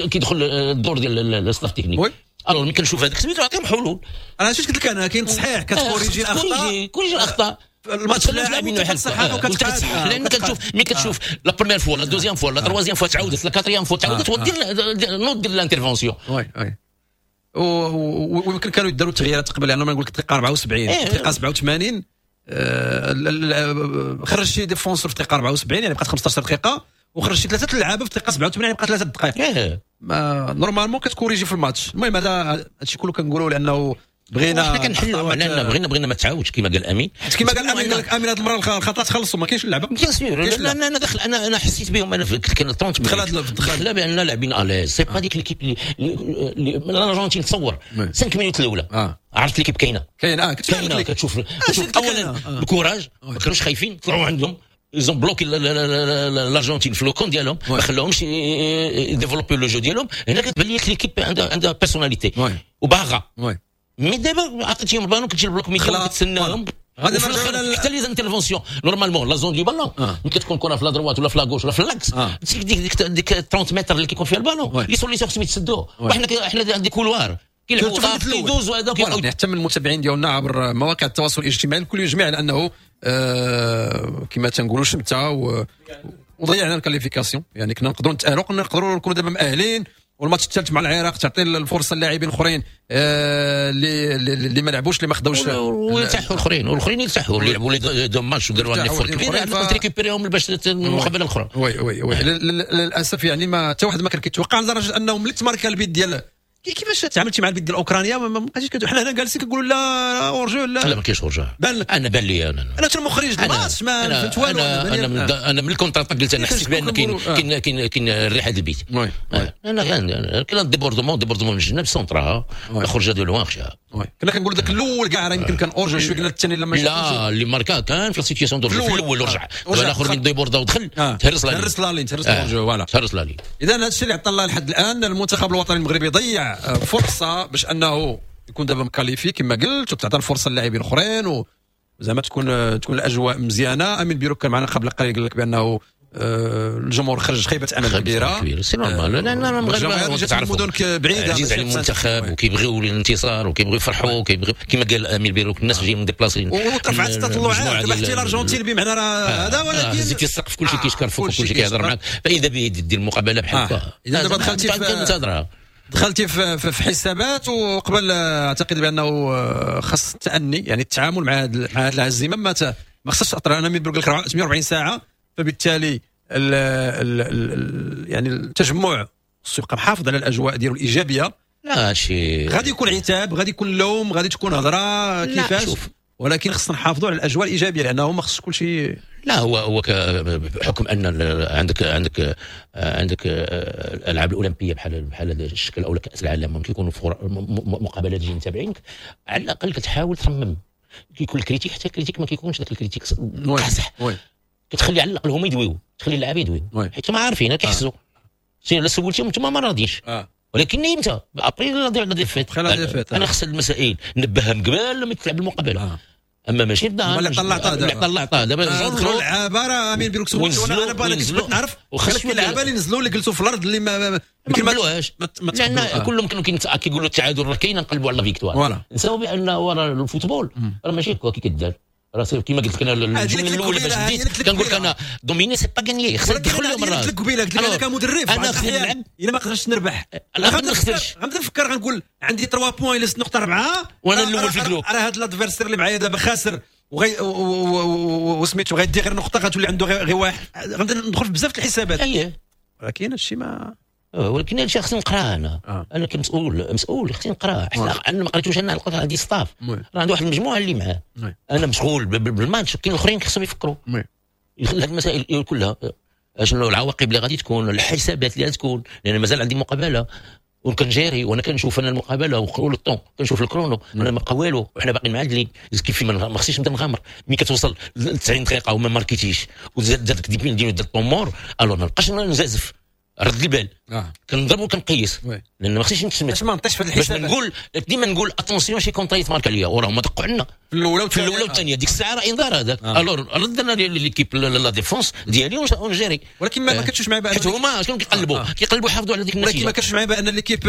كيدخل الدور ديال ال staff technique. alors ملي كنشوف هذاك سميتو نعطيهم حلول. انا اش قلت لك، انا كاين تصحيح، كتكوريجي الاخطاء، كوريجي الاخطاء. الماتش لاعبين وكتصحح، لان كتشوف ملي كتشوف la première fois، la deuxième fois، la troisième fois تعاودت، la quatrième fois تعاودت، ودير نوض دير l'intervention. oui oui، ويمكن كانوا يداروا التغييرات قبل، لانه ما نقول لك الدقيقة أربعة وسبعين، الدقيقة سبعة وثمانين آه، خرج شي défenseur في الدقيقة أربعة وسبعين، يعني بقات خمسطاش دقيقه، وخرج شي ثلاثة لعابه في الدقيقة سبعة وثمانين، يعني بقات ثلاثة دقائق. ما normalement كتكوريجي في الماتش. المهم هذا هادشي كله كنقولوا لانه بغينا حنا كنحلوا لان بغينا بغينا ما تعاودش كما قال امين. حيت كما قال امين، قال لك امين هذه المرة الخطا تخلصوا، ما كاينش اللعبه. bien sûr، انا انا دخل انا انا حسيت بهم، انا كان ثلاثين دخل دخل بان لاعبين à l'aise. c'est pas ديك l'équipe اللي الارجنتين تصور خمسة minutes الاولى آه. عرفت l'équipe كاينه. كاين اه كاينه. كتشوف كتشوف اولا ال courage، ما كانوش خايفين، طلعوا عندهم، ils ont bloqué الارجنتين في le camp ديالهم، ما خلاهمش يديفلوبي le jeu ديالهم. هنا كتبان لي l'équipe عندها عندها personnalité وباغا. mais دابا عطيتيهم البالون، كتجي ال bloc milieu كتسناهم. غادي حتى les interventions، normalement la zone du ballon ملي كتكون كره في la droite ولا في la gauche ولا في l'axe، ديك ديك ديك ثلاثين متر اللي كيكون فيها ال ballon، les solutions خصهم يتسدوا. وحنا حنا des couloirs كيلعبوا كيدوزوا هذا. حتى من المتابعين ديالنا عبر مواقع التواصل الاجتماعي، الكل يجمع على انه آه كما تنقولوا شمته وضيعنا ال qualification، يعني كنا نقدروا نتاهلوا، كنا نقدروا نكونوا دابا مأهلين. والماتش الثالث مع العراق تعطي الفرصة للاعبين الاخرين آه، اللي اللي ما لعبوش، اللي ما خداوش. ويرتاحوا الاخرين، والاخرين يرتاحوا اللي لعبوا les deux matchs وداروا un effort كبير، تريكوبيريهم باش المقابلة الاخرى. oui oui oui، للاسف يعني ما حتى واحد ما كان كيتوقع، لدرجة انه ملي تماركا البيت ديال كيفاش تعاملتي مع البيت ديال اوكرانيا؟ ما بقيتيش حنا هنا جالسين كنقولوا لا hors-jeu، لا لا ما كاينش hors-jeu. انا بان لي انا انا المخرج الماتش ما فهمت والو. انا انا من, انا من ال contre-attaque قلت انا حسيت بان كاين كاين كاين كاين الريحة ديال البيت. انا كاين débordement débordement من الجناب سونطراها خرجه de loin خشاها. كنا كنقولوا ذاك الاول كاع راه يمكن كان hors-jeu شوية، قلنا الثاني لما لا اللي ماركا كان في situation de في الاول ورجع دابا الاخر من déborda ودخل تهرس la ligne، تهرس la ligne، تهرس hors-jeu voilà تهرس la ligne. اذا هذا الشيء اللي عطى الله لحد الان المنتخب الوطني المغربي ضيع فرصة باش انه يكون دابا qualifié كما قلت، وتعطى الفرصة للاعبين الاخرين وزعما تكون تكون الاجواء مزيانه. امين بيروك كان معنا قبل قليل قال لك بانه الجمهور خرج خيبه امل كبيرة. c'est normal لان المغاربة تعرف المدن بعيدة عزيز على المنتخب وكيبغيو الانتصار وكيبغيو يفرحوا وكيبغيو كما قال امين بيروك الناس جايين déplacés وترفعت التطلعات دابا حتى الارجنتين بمعنى راه هذا، ولكن زيد السقف كلشي كيشكر فوق وكلشي كيهضر معاك، فاذا به دير المقابلة بحال هكا. اذا دابا دخلتي في دخلتي في, في حسابات، وقبل اعتقد بانه خاص التأني يعني التعامل مع هذه مع هذه الهزيمة ما ما خصهاش تاثر. انا من بقول لك ثمانية وأربعين ساعة، فبالتالي ال ال ال يعني التجمع خصو يبقى محافظ على الاجواء ديالو الايجابية. لا شي غادي يكون عتاب، غادي يكون لوم، غادي تكون هضره كيفاش، ولكن خصنا نحافظوا على الاجواء الايجابية لانه ما خصش كل شيء. لا هو هو بحكم ان عندك عندك عندك الالعاب الاولمبية بحال بحال هذا الشكل او كاس العالم ممكن يكونوا مقابلات جايين تابعينك، على الاقل كتحاول ترمم. كيكون ال critique، حتى ال critique ما كيكونش ذاك ال critique قاصح، كتخلي على الاقل هما يدويو، تخلي اللعابه يدويو حيت هما عارفين كيحسوا. لا سولتيهم انتم ما راضيينش، ولكن امتى après la défaite. انا خص المسائل نبهها من قبل لما تلعب المقابلة. آه. اما ماشي في اللي طلعتها دابا اللي طلعتها دابا دخلوا اللعابه راه امين بيروك وانا انا باغي نعرف وخاص اللعابه اللي نزلوا اللي جلسوا في الارض اللي ما ما قبلوهاش، لان كلهم كانوا كيقولوا التعادل راه كاين، نقلبوا على la victoire. نساو بان ورا ال football راه ماشي هكا كي كدار، راه كيما قلت لك انا الجملة الاولى باش بديت كنقول لك انا dominer c'est pas gagner، خصك تدخل لهم الراس. قلت لك قبيلة قلت لك انا كمدرب انا خصني نلعب، الا ما قدرتش نربح انا ما نخسرش، غنبدا نفكر غنقول عندي ثلاثة points الا ستة نقطة أربعة وانا الاول في ال groupe، راه هذا l'adversaire اللي معايا دابا خاسر وغي وسميتو غيدي غير نقطة غتولي عنده غير واحد، غنبدا ندخل في بزاف الحسابات. اييه ولكن هادشي ما ولكن هادشي خصني نقراه انا. آه. انا كمسؤول مسؤول خصني نقراه، حتى انا ما قريتوش انا عندي staff راه عندي واحد المجموعة اللي معاه. انا مشغول بالماتش، كاين الاخرين خصهم يفكروا هاد المسائل كلها، شنو العواقب اللي غادي تكون، الحسابات اللي غادي تكون، لان مازال عندي مقابله وكنجيري وانا كنشوف انا المقابلة وال temps كنشوف ال chrono، انا ما بقى والو وحنا باقيين معادلين كيف ما خصنيش نبدا نغامر. ملي كتوصل تسعين دقيقة وما ماركيتيش وزاد داك dix minutes temps mort، alors ما نبقاش نزازف، رد البال. آه. كنضرب وكنقيس لان ما خصنيش نتسمت باش ما نطيش في الحساب، باش نقول ديما نقول attention شي contre يتمارك عليا وراه هما دقوا عندنا في الاولى في الاولى والثانية، ديك الساعة راه انذار هذاك. آه. alors رد انا l'équipe la défense ديالي ونجيري. ولكن ما كتشوفش معايا بان حيت هما شنو كيقلبوا؟ آه. كيقلبوا يحافظوا على ديك النتيجة. ولكن ما كتشوفش معايا بان l'équipe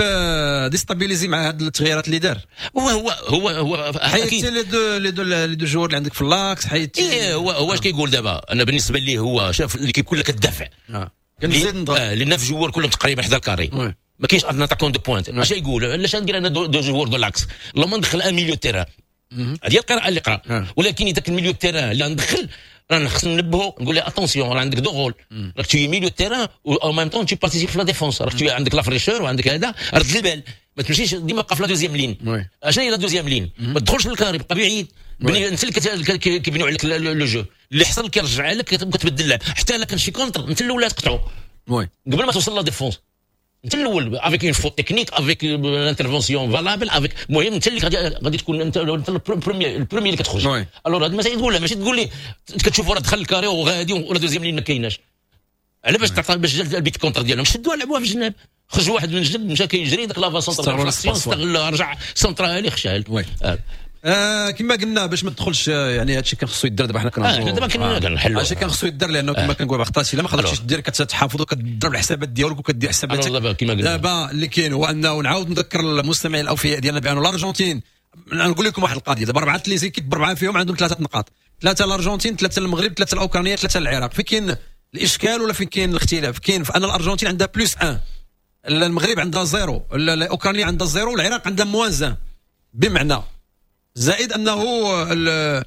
déstabilisée مع هاد التغييرات اللي دار. هو هو هو هو حيدتي les deux les deux les deux joueurs اللي عندك في l'axe، حيدتي. ايه هو هو اش كيقول دابا؟ انا بالنسبة لي هو شاف l'équipe كلها كتدافع، كنزيد نضغط les neuf joueurs كلهم تقريبا حدا ال carré، ما كاينش un attaquant de pointe. اش يقول؟ علاش ندير انا deux joueurs de l'axe؟ اللهم ندخل un milieu terrain، هذه هي القراءة اللي قرا. ولكن اذا كان milieu terrain اللي ندخل راه خصنا ننبهو نقول له attention راه عندك deux rôles، راك tu es milieu terrain و en même temps tu participes في la défense، راك عندك la fraîcheur وعندك هذا، رد البال ما تمشيش ديما بقى في la deuxième ligne. اشنو هي la deuxième ligne؟ ما تدخلش لل carré، بقى بعيد، انت اللي كيبنيو عليك le jeu، اللي حصل كيرجع لك كتبدل اللعب، حتى الا كان شي contre انت الاول تقطعو قبل ما توصل la défense، انت الاول avec une faute technique avec l'intervention valable avec، المهم انت اللي غادي غادي تكون انت انت ال premier ال premier اللي كتخرج. alors هاد المسائل تقولها، ماشي تقول لي كتشوف راه دخل ال carré وغادي ولا deuxième ligne ما كايناش. على باش تعطي باش جا البيت contre ديالهم شدوها لعبوها في الجناب، خرج واحد من الجنب مشى كيجري داك l'avant-centre استغل رجع سونترالي خشال. آه كما قلنا باش ما تدخلش يعني هادشي كان خصو يدير. دابا حنا كنهضروا آه دابا كنحلوا هادشي كان خصو يدير، لانه كما كنقول بخطاتي الا ما قدرتيش دير كتحافظ وكتضرب الحسابات ديالك وكدير حساباتك. دابا كما قلنا دابا اللي كاين هو انه نعاود نذكر المستمعين الاوفياء ديالنا بان الارجنتين، نقول لكم واحد القضية، دابا اربعة les équipes بربعه فيهم عندهم ثلاثة نقاط، ثلاثة الارجنتين، ثلاثة المغرب، ثلاثة الاوكرانية، ثلاثة العراق. فين كاين الاشكال ولا فين كاين الاختلاف؟ كاين في ان الارجنتين عندها plus واحد، المغرب عندها zéro، الاوكرانية عندها zéro، والعراق عندها moins un. بمعنى زائد انه دابا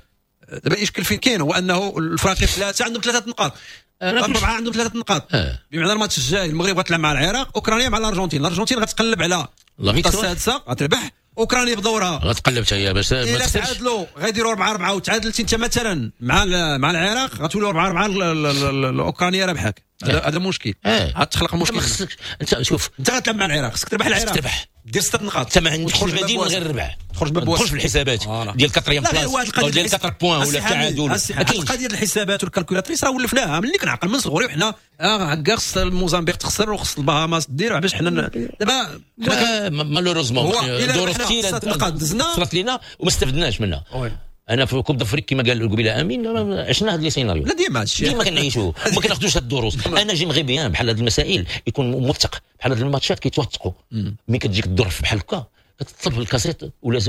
الاشكال فين كاين هو انه الفراقي ثلاثة عندهم ثلاثة نقاط، اربعة عندهم ثلاثة نقاط. بمعنى الماتش الجاي المغرب غتلعب مع العراق، اوكرانيا مع الارجنتين، الارجنتين غتقلب على النقطة السادسة غتربح اوكرانيا بدورها غتقلب حتى هي باش ما تخسرش. تعادلوا غيديروا أربعة أربعة وتعادلتي انت مثلا مع مع العراق غتولوا أربعة أربعة، الاوكرانيا ربحك. هذا مشكل، غتخلق مشكل. ما خصكش انت شوف انت غتلعب مع العراق خصك تربح العراق، تربح دير ستة نقاط، انت ما عندكش البديل من غير الربح، تخرج باب تخرج في الحسابات ديال quatrième place او ديال quatre points ولا التعادل. القضية ديال الحسابات وال calculatrice راه ولفناها ملي كنعقل من صغري، وحنا هكا خص الموزامبيق تخسر وخص البهاماس دير باش حنا دابا malheureusement ظروف كثيرة صرات لينا وما استفدناش منها. انا في Coupe d'Afrique كما قال قبيلة امين عشنا هاد les scénarios. لا ديما هادشي ديما كنعيشوه وما كناخذوش هاد الدروس. انا j'aimerais bien بحال هاد المسائل يكون موثق، بحال هاد الماتشات كيتوثقوا. ملي كتجيك الظرف بحال هكا كتطلب الكاسيت ولا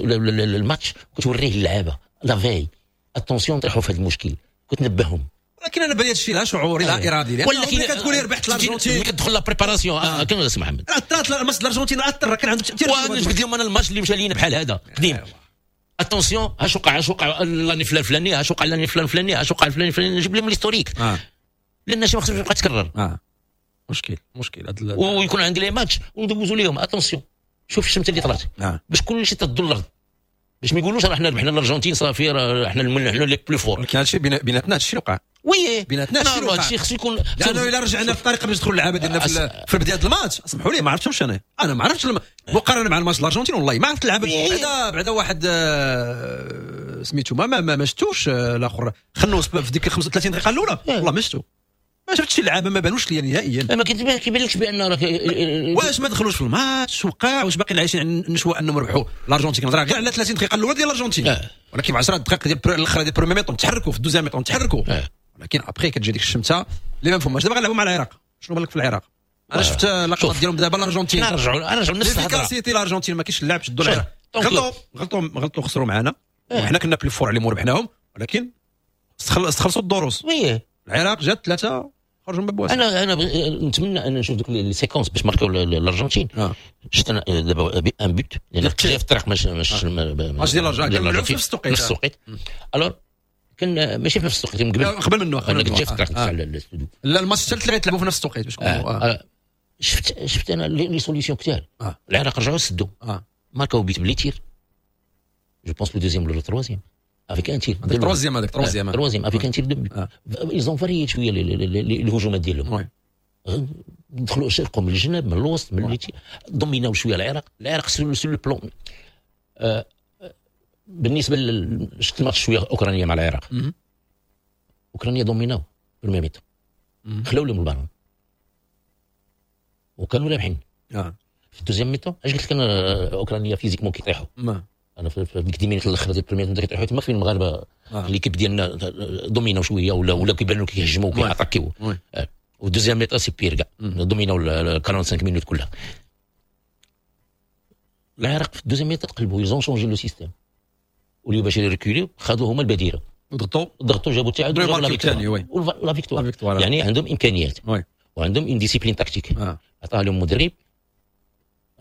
الماتش وكتوريه للعابه la veille، attention طيحوا في هاد المشكل، كتنبههم. ولكن انا بالي هادشي لا شعوري لا ارادي، ولكن كتقول لي ربحت الارجنتين ملي كتدخل la préparation كان سي محمد اثرت الماتش الارجنتين، اثر كان عنده تاثير. وانا جبت لهم انا الماتش اللي مشى لينا بحال هذا قديم، attention اش وقع اش وقع l'année فلان فلاني، اش وقع l'année فلان فلاني، اش وقع فلان فلاني، نجيب لهم l'historique. آه. لان شي ما خصهمش يبقى تكرر. اه مشكل مشكل هاد ويكون عندي les matchs وندوزو ليهم attention شوف الشمس اللي طلعت. آه. باش كلشي تدو الارض، باش ما يقولوش راه حنا ربحنا الارجنتين صافي راه حنا حنا les plus forts. ولكن هادشي بيناتنا هادشي وقع. oui بيناتنا هادشي وقع، هادشي خصو يكون، لانه الا رجعنا في الطريقة باش ندخل اللعابه ديالنا في, في بداية الماتش، سمحوا لي ما عرفتهمش انا، انا ما عرفتش مقارنة مع الماتش الارجنتين والله ما عرفت اللعابه. بعدا بعدا واحد سميتو ما ما, ما شفتوش الاخر خنوس في ديك خمسة وثلاثين دقيقة الاولى والله ما شفتو، ما شفتش اللعابه ما بانوش ليا نهائيا. ما كيبانلكش بان راك واش ما دخلوش في الماتش وقع، واش باقيين عايشين نشوى انهم ربحوا الارجنتين. كنهضر غير على ثلاثين دقيقة الاولى ديال الارجنتين، آه. ولكن في عشرة دقائق ديال الاخرى ديال première mi-temps تحركوا، في ال deuxième mi-temps تحركوا، آه. ولكن après كتجي ديك الشمته اللي ما مفهوماش. دابا غنلعبوا مع العراق، شنو بالك في العراق؟ انا شفت اللقطات ديالهم دابا الارجنتين، نرجعوا نرجعوا نفس الهضرة. l'efficacité الارجنتين ما كاينش اللعب، شدوا العراق، غلطوا غلطوا غلطوا خسروا معنا وحنا كنا plus forts عليهم وربحناهم، ولكن استخلصوا الدروس. oui العراق جات ثلاثة خرجوا من باب. انا انا نتمنى ان نشوف دوك les séquences باش ماركاو الارجنتين. آه. شفت انا دابا un but لان في الطريق ماشي ماشي ماشي ديال الارجنتين في نفس التوقيت، نفس التوقيت. alors كان ماشي في نفس التوقيت من قبل قبل منه، انا كنت جاي في الطريق تاع الاستوديو. لا الماتش الثالث اللي غيتلعبوا في نفس التوقيت باش آه. شفت شفت انا les solutions كثار. العراق رجعوا سدوا، ماركاو but ب les tirs، je pense le deuxième ولا troisième avec un tir. troisième هذاك troisième troisième avec un tir de but. ils ont varié شوية الهجومات ديالهم، دخلوا شرقوا من الجناب من الوسط من les tirs، دوميناو شوية العراق. العراق sur le plan بالنسبة شفت الماتش شوية اوكرانيا مع العراق، اوكرانيا دوميناو première mi-temps، خلاو لهم البالون وكانوا رابحين. في ال deuxième mi-temps اش قلت لك انا، اوكرانيا physiquement كيطيحوا. انا في ديك dix minutes الاخر ديال ال première كيطيحوا تما فين المغاربة آه. l'équipe ديالنا دوميناو شوية ولا ولا كيبانوا كيهجموا وكياتاكيو. وال deuxième mi-temps c'est pire كاع، دوميناو خمسة وأربعين minutes كلها. العراق في ال deuxième mi-temps تقلبوا، ils ont changé le système وليو باش يريكوليو، خذوا هما البديرة ضغطوا ضغطوا جابوا التعادل وجابوا la victoire. la victoire يعني عندهم امكانيات وعندهم une discipline tactique عطاها لهم المدرب،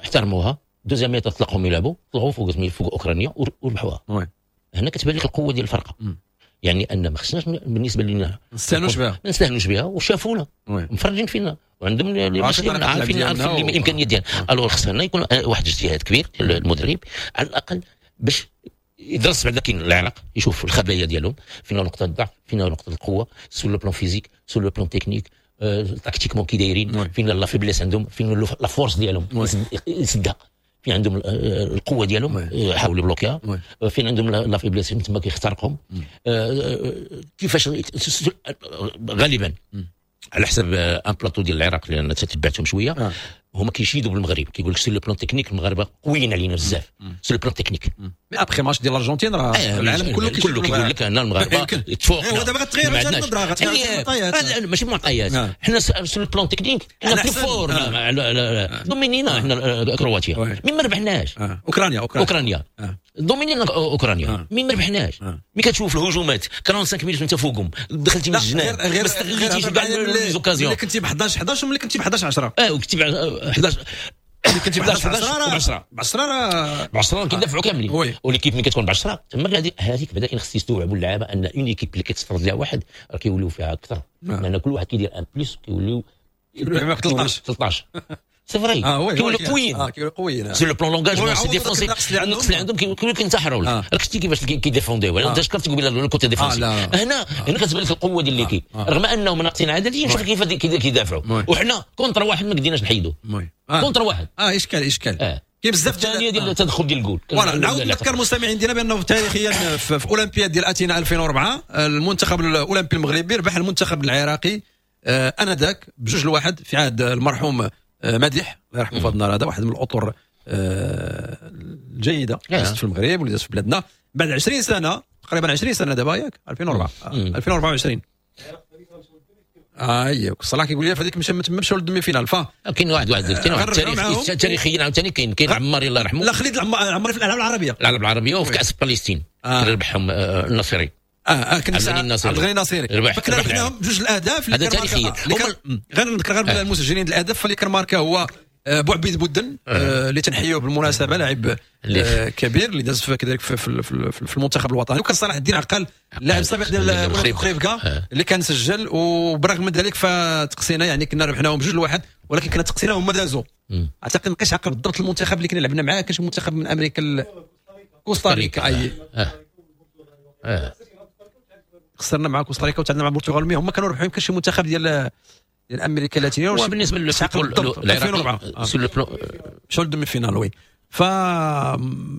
احترموها. deuxième mi-temps طلقهم يلعبوا، طلعوا فوق فوق اوكرانيا وربحوها. هنا كتبان لك القوة ديال الفرقة. مم. يعني ان ما خصناش بالنسبة لنا ما نستهانوش بها، ما نستهانوش بها، وشافونا مفرجين فينا وعندهم عارفين عارفين الامكانيات ديالنا. alors خصنا يكون واحد الاجتهاد كبير ديال المدرب على الاقل باش يدرس بعدا كاين العراق، يشوف الخبايا ديالهم، فين نقطة الضعف، فين نقطة القوة، sur le plan physique، sur le plan technique، tactiquement كي دايرين، فين la faiblesse عندهم، فين la force ديالهم يسدها، فين عندهم القوة ديالهم يحاولوا يبلوكيها، فين عندهم la faiblesse تما كيخترقهم. كيفاش غالبا على حسب un plateau ديال العراق لان تتبعتهم شوية، هما كيشيدوا بالمغرب، كيقول لك sur le plan technique المغاربة قويين علينا بزاف sur le plan technique. mais après match ديال الارجنتين راه العالم كله كله كيقول لك ان المغاربة تفوقنا. دابا غتغير النظرة، غتغير المعطيات، ماشي معطيات، حنا sur le plan technique حنا plus forts، دومينينا حنا كرواتيا mais ما ربحناش. اوكرانيا اوكرانيا دومينينا اوكرانيا mais ما ربحناش. mais كتشوف الهجومات خمسة وأربعين minutes انت فوقهم، دخلتي من الجناب، ما استغليتيش كاع les occasions. ملي كنتي ب حداش حداش وملي كنتي ب حداش عشرة، اه وكنتي ب حداش كنتي ب حداش عشرة ب عشرة ب عشرة كيدافعوا كاملين. و l'équipe ملي كتكون ب عشرة تما هذيك بعدا كاين خص يستوعبوا اللعابه ان une équipe اللي كتفرض لها واحد راه كيوليو فيها اكثر، لان كل واحد كيدير un plus كيوليو ثلاثطاش ثلاثطاش. c'est vrai، كيولوا قويين. اه كيولوا قويين sur le plan l'engagement، c'est défensif، النقص اللي عندهم كيولوا كينتحروا. راك شتي كيفاش كيديفونديو، انت شكرت قبيلة le côté défensif، هنا هنا كتبان لك القوة ديال l'équipe رغم انهم ناقصين عدديا. شوف كيف كيدافعوا، وحنا contre واحد ما قديناش نحيدو contre واحد. اه اشكال اشكال كاين بزاف الثانية ديال التدخل ديال الجول. voilà، نعاود نذكر المستمعين ديالنا بانه تاريخيا في اولمبياد ديال اثينا ألفين وأربعة المنتخب الاولمبي المغربي ربح المنتخب العراقي انذاك بجوج لواحد في عهد المرحوم مديح الله يرحمه في هذا النهار هذا، واحد من الاطر الجيدة اللي في المغرب واللي في بلادنا بعد عشرين سنة تقريبا، عشرين سنة دابا ياك، ألفين وأربعة ألفين وأربعة وعشرين. ايوا صلاح كيقول لي فهذيك مشى تما مشاو لل demi-finale. ف كاين واحد واحد كاين واحد التاريخ تاريخيا عاوتاني، كاين كاين عماري الله يرحمه. لا خليد العماري في الالعاب العربية، الالعاب العربية وفي كاس فلسطين آه. ربحهم النصيري. اه اه كنا عبد الغني الناصري، فكنا ربحناهم بجوج الاهداف. هذا تاريخيا. غير نذكر غير المسجلين الاهداف، فاللي كان ماركا هو بوعبيد بودن اللي تنحيوه بالمناسبه، لاعب كبير اللي داز كذلك في, في, في المنتخب الوطني، وكان صلاح الدين عقال لاعب سابق ديال خريبكا اللي كان سجل. وبرغم من ذلك فتقسينا، يعني كنا ربحناهم بجوج لواحد ولكن كنا تقسينا هما دازوا. اعتقد نبقيش عقل بالضبط المنتخب اللي كنا لعبنا معاه، كان شي منتخب من امريكا، كوستاريكا. اي اه خسرنا مع كوستاريكا وتعادلنا مع البرتغال، mais هما كانوا ربحوا يمكن شي منتخب ديال ديال امريكا اللاتينية. وبالنسبة لل ألفين وأربعة مشاو لل demi-finale. oui، ف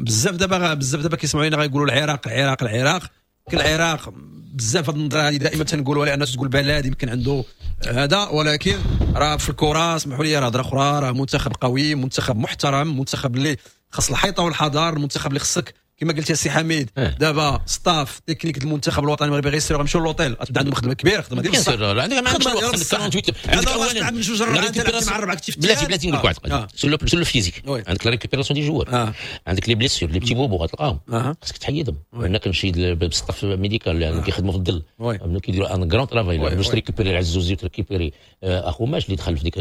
بزاف دابا بزاف دابا كيسمعوا لينا غيقولوا العراق العراق العراق، العراق بزاف. هاد النظرة هذه دائما تنقولوها، لان تقول بلد يمكن عنده هذا، ولكن راه في الكره اسمحوا لي راه هضره اخرى، راه منتخب قوي، منتخب محترم، منتخب اللي خاص الحيطة والحذر، المنتخب اللي خصك كما قلت يا سي حميد دابا staff technique المنتخب الوطني المغربي غيسيروا غيمشيو l'hôtel، غتبدا عندهم خدمة كبيرة، خدمة ديال بصح. عندك ما عندكش الوقت، عندك ثمانية وأربعين، عندك اولا من جوج الربعه مع الربعه بلاتي بلاتي نقول لك واحد القضية sur le physique، عندك la récupération des joueurs، عندك les blessures، les petits bobos غتلقاهم خاصك تحيدهم. هنا كنمشي بال staff médical لان كيخدموا في الظل، كيديروا un grand travail باش تريكوبيري العزوزي وتريكوبيري اخوماش اللي دخل في ديك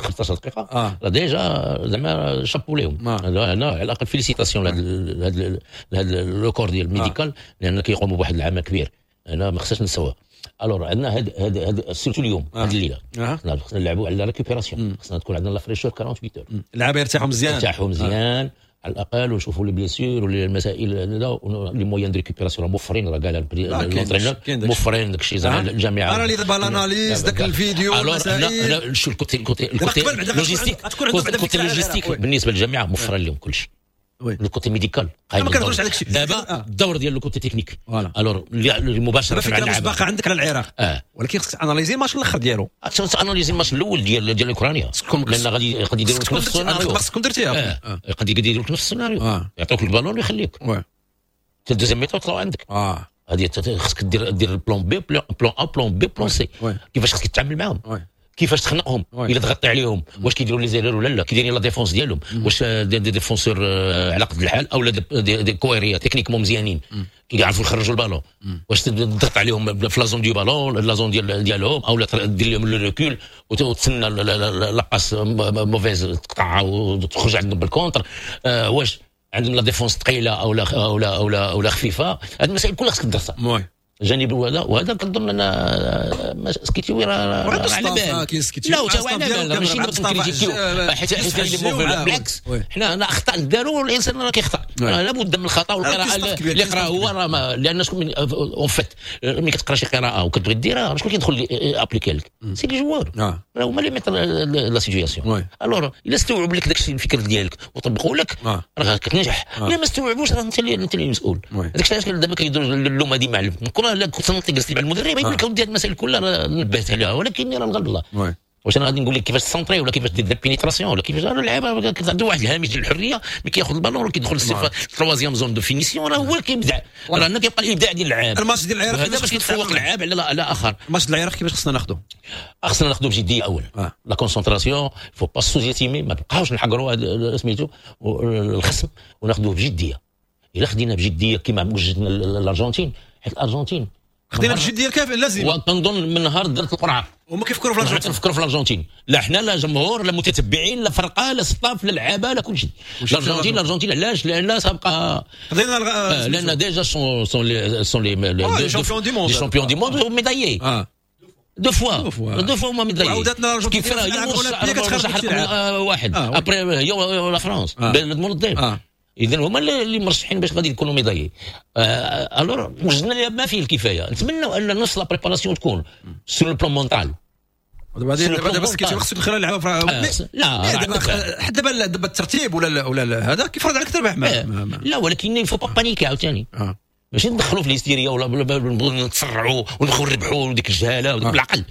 خمسطاش دقيقة، راه déjà زعما شابو ليهم. هنا على الاقل félicitations لهذا لهذا le corps ديال ال médical، لان كيقوموا بواحد العمل كبير، انا ما خصناش نساوها. alors عندنا هاد هاد هاد surtout اليوم هاد الليلة خصنا نلعبوا على la récupération، خصنا تكون عندنا la fraîcheur ثمانية وأربعين heures. اللعابه يرتاحوا مزيان، يرتاحوا مزيان على الاقل، ونشوفوا les blessures ولا المسائل، les moyens de récupération موفرين، راه قال l'entraîneur موفرين داك الشيء زعما الجامعة. انا اللي دابا l'analyse داك الفيديو. المسائل هنا شو ال côté ال côté ال côté logistique، côté logistique بالنسبة للجامعة موفره لهم كل شيء، le côté médical. قايم. ما كنهضروش على داكشي. دابا الدور ديال le côté technique، alors اللي مباشرة مع اللعابه باقي عندك على العراق اه ولكن خصك analyser الماتش الاخر ديالو، analyser الماتش الاول ديال ديال اوكرانيا، لان غادي غادي يديروا لك نفس السيناريو. خصكم درتيها. غادي يديروا لك نفس السيناريو، يعطوك البالون ويخليك oui حتى ال deuxième mi-temps يطلعوا عندك. اه هذه خصك دير دير plan B، plan A، plan B، plan C، كيفاش خصك تتعامل معاهم، كيفاش تخنقهم، الا تغطي عليهم واش كيديروا les erreurs ولا لا، كيديرين la défense ديالهم واش des, des défenseurs على قد الحال او des, des كويريه techniquement مزيانين كيعرفوا يخرجوا البالون، واش تضغط عليهم في la zone du ballon، la zone ديال ديالهم، او دير لهم le recul وتسنى la passe mauvaise تقطعها وتخرج عندهم بال contre، آه واش عندهم la défense ثقيلة او لا او لا او لا او لا خفيفه. هذه المسائل كلها خصك تدرسها جانب وهذا وهذا كنظن ان سكيتيوي راه على بال، لا هو على بال، ماشي نكريتيكيو حيت حيت بالعكس حنا هنا اخطاء داروا، الانسان راه كيخطا، لابد من الخطا، والقراءة اللي قرا هو راه لان شكون en fait ملي كتقرا شي قراءة وكتبغي ديرها شكون كيدخل appliquer لك؟ c'est les joueurs، راه هما اللي mettent la situation. alors الا استوعب لك داك الشيء الفكر ديالك وطبقوا لك راه كتنجح، الا ما استوعبوش راه انت اللي انت اللي مسؤول. داك الشيء علاش دابا كيديروا اللومه ديما معلم الكره. لا كنت جلست مع المدرب يقول لك اودي هذه المسائل كلها نبهت عليها، ولكن راه الغالب الله. واش انا غادي نقول لك كيفاش centrer ولا كيفاش دير pénétration ولا كيفاش؟ اللعابه عنده واحد الهامش ديال الحريه، ملي كياخذ البالون وكيدخل ال troisième zone de finition راه هو كيبدع، راه هنا كيبقى الابداع ديال اللعاب. الماتش ديال العراق هذا باش كيتفوق اللعاب على على اخر. الماتش ديال العراق كيفاش خصنا ناخذه؟ خصنا ناخذه بجدية اولا، آه. la concentration، faut pas sous-estimer، ما نبقاوش نحقروا سميتو الخصم، وناخذوه بجدية. الا خدينا بجدية كما وجدنا الارجنتين، حيت الارجنتين خدينا بجدية الكافيه اللازمة، وكنظن من نهار درت القرعة هما كيفكروا في الارجنتين، نفكروا في الارجنتين، لا حنا لا جمهور لا متتبعين لا فرقه لا staff لا لعابه لا كل شيء. الارجنتين الارجنتين علاش؟ لان سابقه خدينا آه لان déjà sont sont les sont les champions du monde، champions du monde médaillés. deux fois deux fois هما médaillés. وعاودتنا كيف راه هي واحد après هي la France بلد منظم. اذا هما اللي مرشحين باش غادي يكونوا médaillés. alors وجدنا لها ما فيه الكفاية. نتمنوا ان نص la préparation تكون sur le plan mental. دابا دابا بس كيتي خصك تدخل اللعبة. لا دابا حتى دابا دابا الترتيب ولا ولا هذا كيفرض عليك تربح. لا ولكن faut pas paniquer عاوتاني. ماشي ندخلوا في الهستيريا ولا نبغوا نتسرعوا ونبغوا نربحوا وديك الجهالة وديك بالعقل.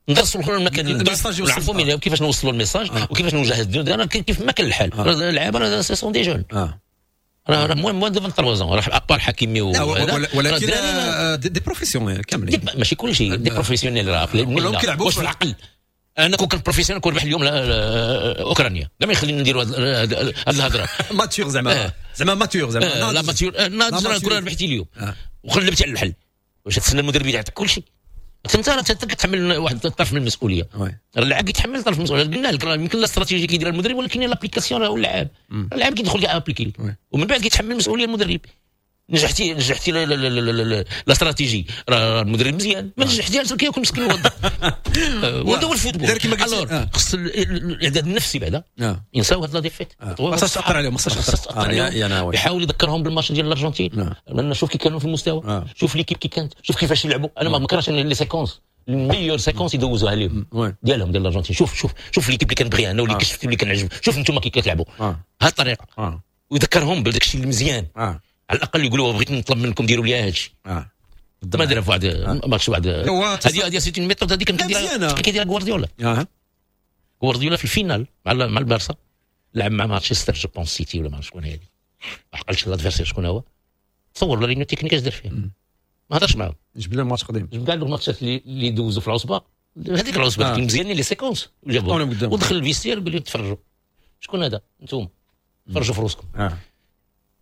ندرسوا المكان نعرفوا كيفاش نوصلوا ال message وكيفاش نجهزوا. انا كيف ما كان الحال اللعابه راه ce sont des jeunes، راه moins moins de ثلاثة وعشرين راه à part حكيمي. ولكن des professionnels كاملين، ماشي كلشي des professionnels، راه كلهم كيلعبوا واش في العقل. انا كون كان professionnel كون ربح اليوم اوكرانيا كاع ما يخليني نديروا هاد الهضرة. mature زعما زعما mature زعما لا mature ناضج. كون ربحتي اليوم وقلبتي على الحل، واش تسنى المدرب يعطيك كلشي؟ انت راه كتحمل واحد الطرف من المسؤولية. راه اللاعب كيتحمل طرف من المسؤولية. قلنا لك راه يمكن la stratégie كيديرها المدرب، ولكن l'application راه هو اللاعب. اللاعب كيدخل كي appliquer ومن بعد كيتحمل المسؤولية المدرب. نجحتي نجحتي la stratégie راه المدرب مزيان، ما نجحتيش كياكل مسكين. وهذا هو ال football. alors خص الاعداد النفسي بعدا ينساو هاد la défaite. خاصها تاثر عليهم، خاصها تاثر عليهم. يحاول يذكرهم بالماتش ديال الارجنتين، لان شوف كي كانوا في المستوى، شوف l'équipe كي كانت، شوف كيفاش يلعبوا. انا ما كرهتش les séquences، ال meilleures séquences يدوزوها لهم ديالهم ديال الارجنتين. شوف شوف شوف l'équipe اللي كنبغيها انا واللي كشفت واللي كنعجب، شوف انتم كي كتلعبوا هاد الطريقة، ويذكرهم بداك الشيء المزيان. على الاقل يقولوا بغيت نطلب منكم ديروا لي هذا الشيء. آه. ما دار في واحد ماتش واحد. هذه هذه c'est une méthode هذه كان كيديرها كيديرها غوارديولا. غوارديولا في ال finale مع مع البارسا لعب مع مانشستر je pense سيتي ولا ما عرفت شكون هذه، ما عقلتش l'adversaire شكون هو. تصور la réunion technique اش دار فيه؟ ما هضرش معاهم. جبد لهم ماتش قديم، جبد كاع الماتشات اللي اللي دوزوا في العصبة، هذيك العصبة آه. مزيانين les séquences وجابهم ودخل ال vestiaire وقال لهم تفرجوا شكون هذا انتم تفرجوا في روسكم. آه.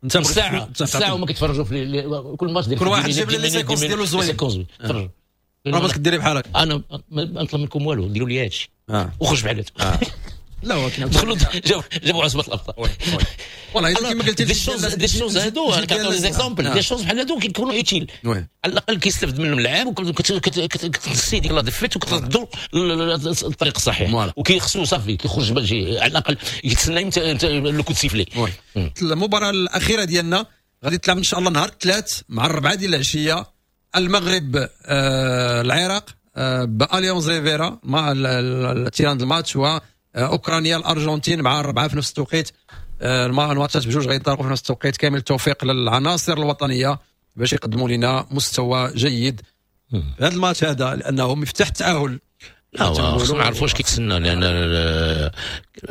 انت ساعة ساعة وما كيتفرجوا في كل ماتش ديال كل واحد جاب les séquences ديالو زوين. séquences تفرجوا. راه بغيتك ديري بحالك. انا ما نطلب منكم والو، ديروا لي هادشي وخرج بحالته. لا ولكن دخلوا جابوا عصبه الابطال. والله كما قلتي des choses des choses هادو انا كنعطيو des exemples des choses بحال هادو كيكونوا utiles، على الاقل كيستافد منهم اللاعب وكتنسي ديك la défaite وكتردو الطريق الصحيح وكيخصو صافي كيخرج باش على الاقل يتسنى le coup de sifflet. المباراة الاخيرة ديالنا غادي تلعب ان شاء الله نهار الثلاث مع الربعه ديال العشيه، المغرب آه العراق آه باليونز ريفيرا مع ال terrain الماتش، و اوكرانيا الارجنتين مع الربعه في نفس التوقيت. الماتشات بجوج غينطلقوا في نفس التوقيت. كامل التوفيق للعناصر الوطنية باش يقدموا لنا مستوى جيد في هذا الماتش هذا، لانه مفتاح التاهل. لا خصنا نعرفوا واش كيتسنى، لان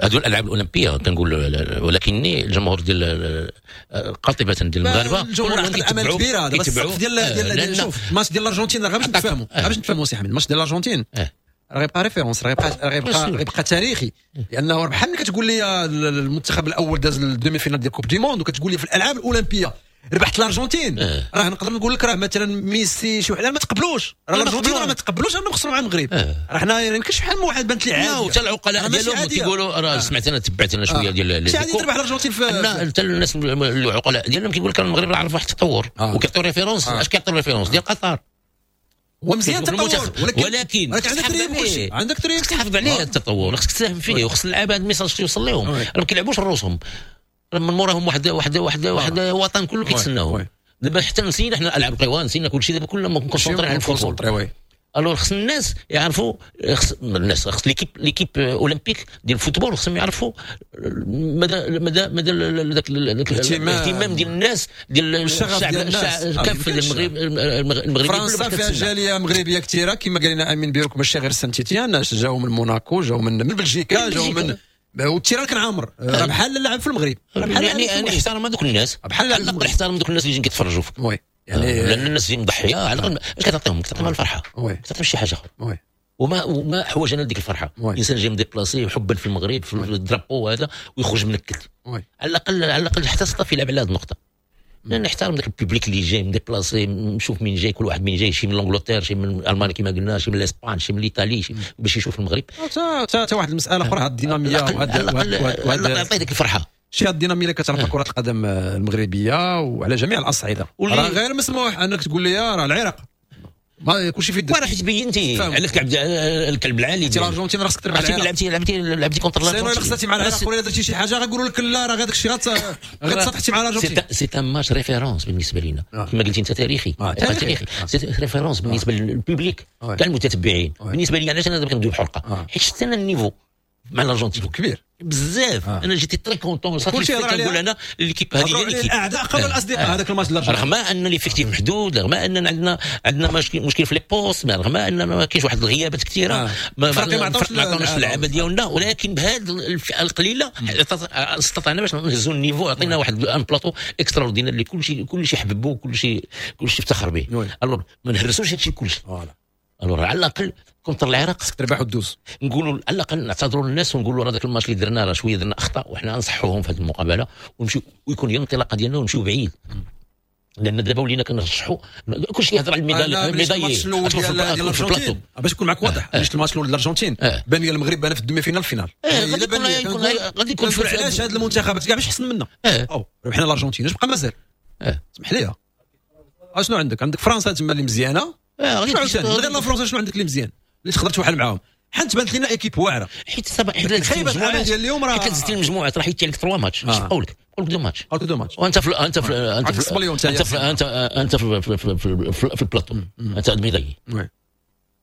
هذو الالعاب الاولمبية كنقول، ولكن الجمهور ديال قاطبة ديال المغاربة الجمهور عنده امل كبيرة. دابا السقف ديال ديال شوف الماتش ديال الارجنتين راه باش نتفاهموا باش نتفاهموا سي حميد، الماتش ديال الارجنتين راه غيبقى référence، راه غيبقى راه غيبقى غيبقى تاريخي، لانه بحال ملي كتقول لي المنتخب الاول داز ال demi-finale ديال coupe du monde وكتقول لي في الالعاب الاولمبية ربحت الارجنتين، اه. راه نقدر نقول لك راه مثلا ميسي شي واحد ما تقبلوش، راه الارجنتين راه ما تقبلوش انهم خسروا مع المغرب. اه. راه حنا ما يمكنش بحال واحد بانت لي لا عادية وحتى العقلاء راه ماشي ديالهم عادية. كيقولوا راه آه. سمعت انا تبعت انا شوية آه. ديال ماشي عادي تربح الارجنتين في لا حتى الناس العقلاء ديالهم كيقول لك المغرب راه عرف واحد التطور آه. وكيعطيو référence. آه. اش كيعطيو référence ديال قطر؟ هو مزيان كيشوف التطور المنتخب. ولكن ولكن ولكن عندك تحافظ تريب عليه. كلشي عندك تريب خصك تحافظ عليه التطور، خصك تساهم فيه، وخص اللعابه هذا ال message يوصل لهم. oui. راه ما كيلعبوش روسهم، راه من موراهم واحد واحد واحد واحد وطن كله كيتسناهم. oui. دابا حتى نسينا حنا العاب القوى، نسينا كل شيء، دابا كلنا concentrés على ال football. concentrés oui. alors خص الناس يعرفوا، خص الناس، خص l'équipe l'équipe olympique ديال ال football خصهم يعرفوا مدى مدى مدى ذاك الاهتمام. الاهتمام ديال الناس ديال الشغف الشعب ديال الناس. الشعب آه، كافة ديال المغرب المغربي كله فرنسا باش فيها كتسنى. جالية مغربية كثيرة كما قال لنا امين بيروك، ماشي غير سانتيتيان، جاو من موناكو، جاو من من بلجيكا، جاو من وال terrain كان عامر، راه بحال اللعب في المغرب، راه بحال يعني اللعب في انا المغرب. احترم هذوك الناس، بحال على الاقل احترم دوك الناس اللي جايين كيتفرجوا فيك. oui يعني لان الناس اللي مضحيه على الاقل اش كتعطيهم؟ كتعطيهم الفرحه، oui كتعطيهم شي حاجة اخرى. oui وما وما حوجنا لديك الفرحه. oui. الانسان جاي م déplacé حبا في المغرب في ال drapeau هذا ويخرج منكد. oui على الاقل على الاقل حتى staff يلعب على هذه النقطه، لان نحترم ذاك ال public اللي جاي م déplacé، نشوف مين جاي، كل واحد مين جاي، شي من l'Angleterre، شي من المانيا كما قلنا، شي من l'Espagne، شي من l'Italie، شي باش يشوف المغرب. حتى حتى واحد المسالة اخرى، هاد الديناميه على وهاد الاقل وهاد- على وهاد الاقل يعطي ديك الفرحة. شي هاد الديناميه اللي كتعرفها كره القدم المغربية وعلى جميع الاصعدة واللي- راه غير مسموح انك تقول لي راه العراق ما كلشي في يدك. راه حيت بينتي على الكعب الكلب العالي ديال الارجنتين راه خصك تربح. لعبتي لعبتي لعبتي contre الارجنتين، الا خسرتي مع العراق ولا درتي شي حاجة غيقولوا لك لا راه غير داكشي غير تسطحتي مع الارجنتين. c'est un match référence بالنسبة لينا كما قلتي انت، تاريخي تاريخي، c'est référence بالنسبة لل public كاع المتتبعين. بالنسبة لي علاش انا دابا كندوي بحرقه؟ حيت شفت انا ال niveau مع الارجنتين كبير بزاف. آه. انا j'étais très content صافي، كنقول انا l'équipe هذه هي l'équipe الاعداء قبل الاصدقاء. هذاك الماتش الارجنتين رغم ان l'effectif محدود، رغم ان عندنا عندنا مشكل في les postes، رغم ان ما كاينش واحد الغيابات كثيرة، آه. ما عطاوناش اللعابه ديالنا، ولكن بهذه الفئة القليلة استطعنا باش نهزوا ال niveau، عطينا واحد un plateau extraordinaire اللي كلشي كلشي حببو، كلشي كلشي افتخر به. alors ما نهرسوش هادشي كلشي. alors على الاقل contre العراق خصك تربح وتدوز، نقولوا على الاقل نعتذروا للناس ونقولوا راه ذاك الماتش اللي درنا راه شوية درنا اخطاء، وحنا نصحوهم في هذه المقابلة ونمشيو ويكون هي الانطلاقة ديالنا ونمشيو بعيد. لان دابا ولينا كنرشحوا كلشي يهضر على ال médaille ال médaille. الماتش الاول ديال الارجنتين باش نكون معك واضح، علاش الماتش الاول ديال الارجنتين بان لي المغرب بان في ال demi-finale finale. غادي يكون غادي يكون علاش هاد المنتخبات كاع باش حسن منا؟ او ربحنا الارجنتين اش بقى مازال؟ اسمح لي اشنو عندك؟ عندك فرنسا تما اللي مزيانه، غادي غير لا فرنسا شنو عندك اللي مزيان اللي تقدر توحل معاهم؟ حيت بانت لنا équipe واعرة، حيت سبع حيت خيبه الامل ديال اليوم راه حيت زدتي المجموعات راه حيدتي عليك ثلاثة ماتش. اش بقاو لك؟ بقاو لك deux matchs، بقاو لك deux matchs، وانت في انت في انت في انت في انت انت في في, في, في, في البلاطو، انت médaillé،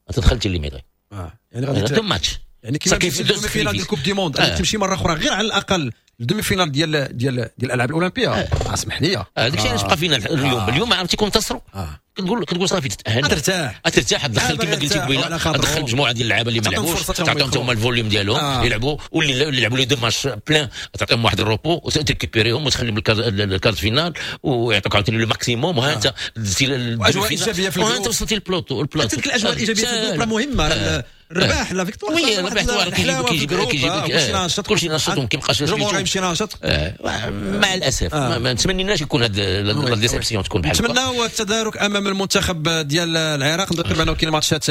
انت دخلتي les médailles. اه يعني غادي deux matchs، يعني كيما كيف ال demi-finale ديال coupe du monde غادي تمشي مرة اخرى غير على الاقل ال demi-finale ديال ديال ديال الالعاب الاولمبية. اسمح لي هذاك الشيء علاش بقى فينا اليوم. اليوم عرفتي كون انتصروا كتقول كتقول صافي تتاهل، ترتاح ترتاح، تدخل كما قلتي قبيلة، تدخل مجموعة ديال اللعابه اللي ما لعبوش، تعطيهم هما ال volume ديالهم آه. يلعبوا، واللي اللي لعبوا les deux matchs pleins تعطيهم واحد ال repos وتريكوبيريهم وتخليهم ال quart de finale ويعطوك عاوتاني le maximum، وها انت دزتي الاجواء الايجابية في وها انت وصلتي لل plateau ال plateau. تلك الاجواء الايجابية في ال groupe راه مهمة، الرباح la victoire oui الرباح كيجيب كيجيب كيجيب كلشي ناشط وما كيبقاش الجمهور يمشي ناشط. مع الاسف ما نتمنيناش يكون هاد la déception تكون بحال نتمناو التدارك امام المنتخب ديال العراق. نذكر بانه كاين ماتشات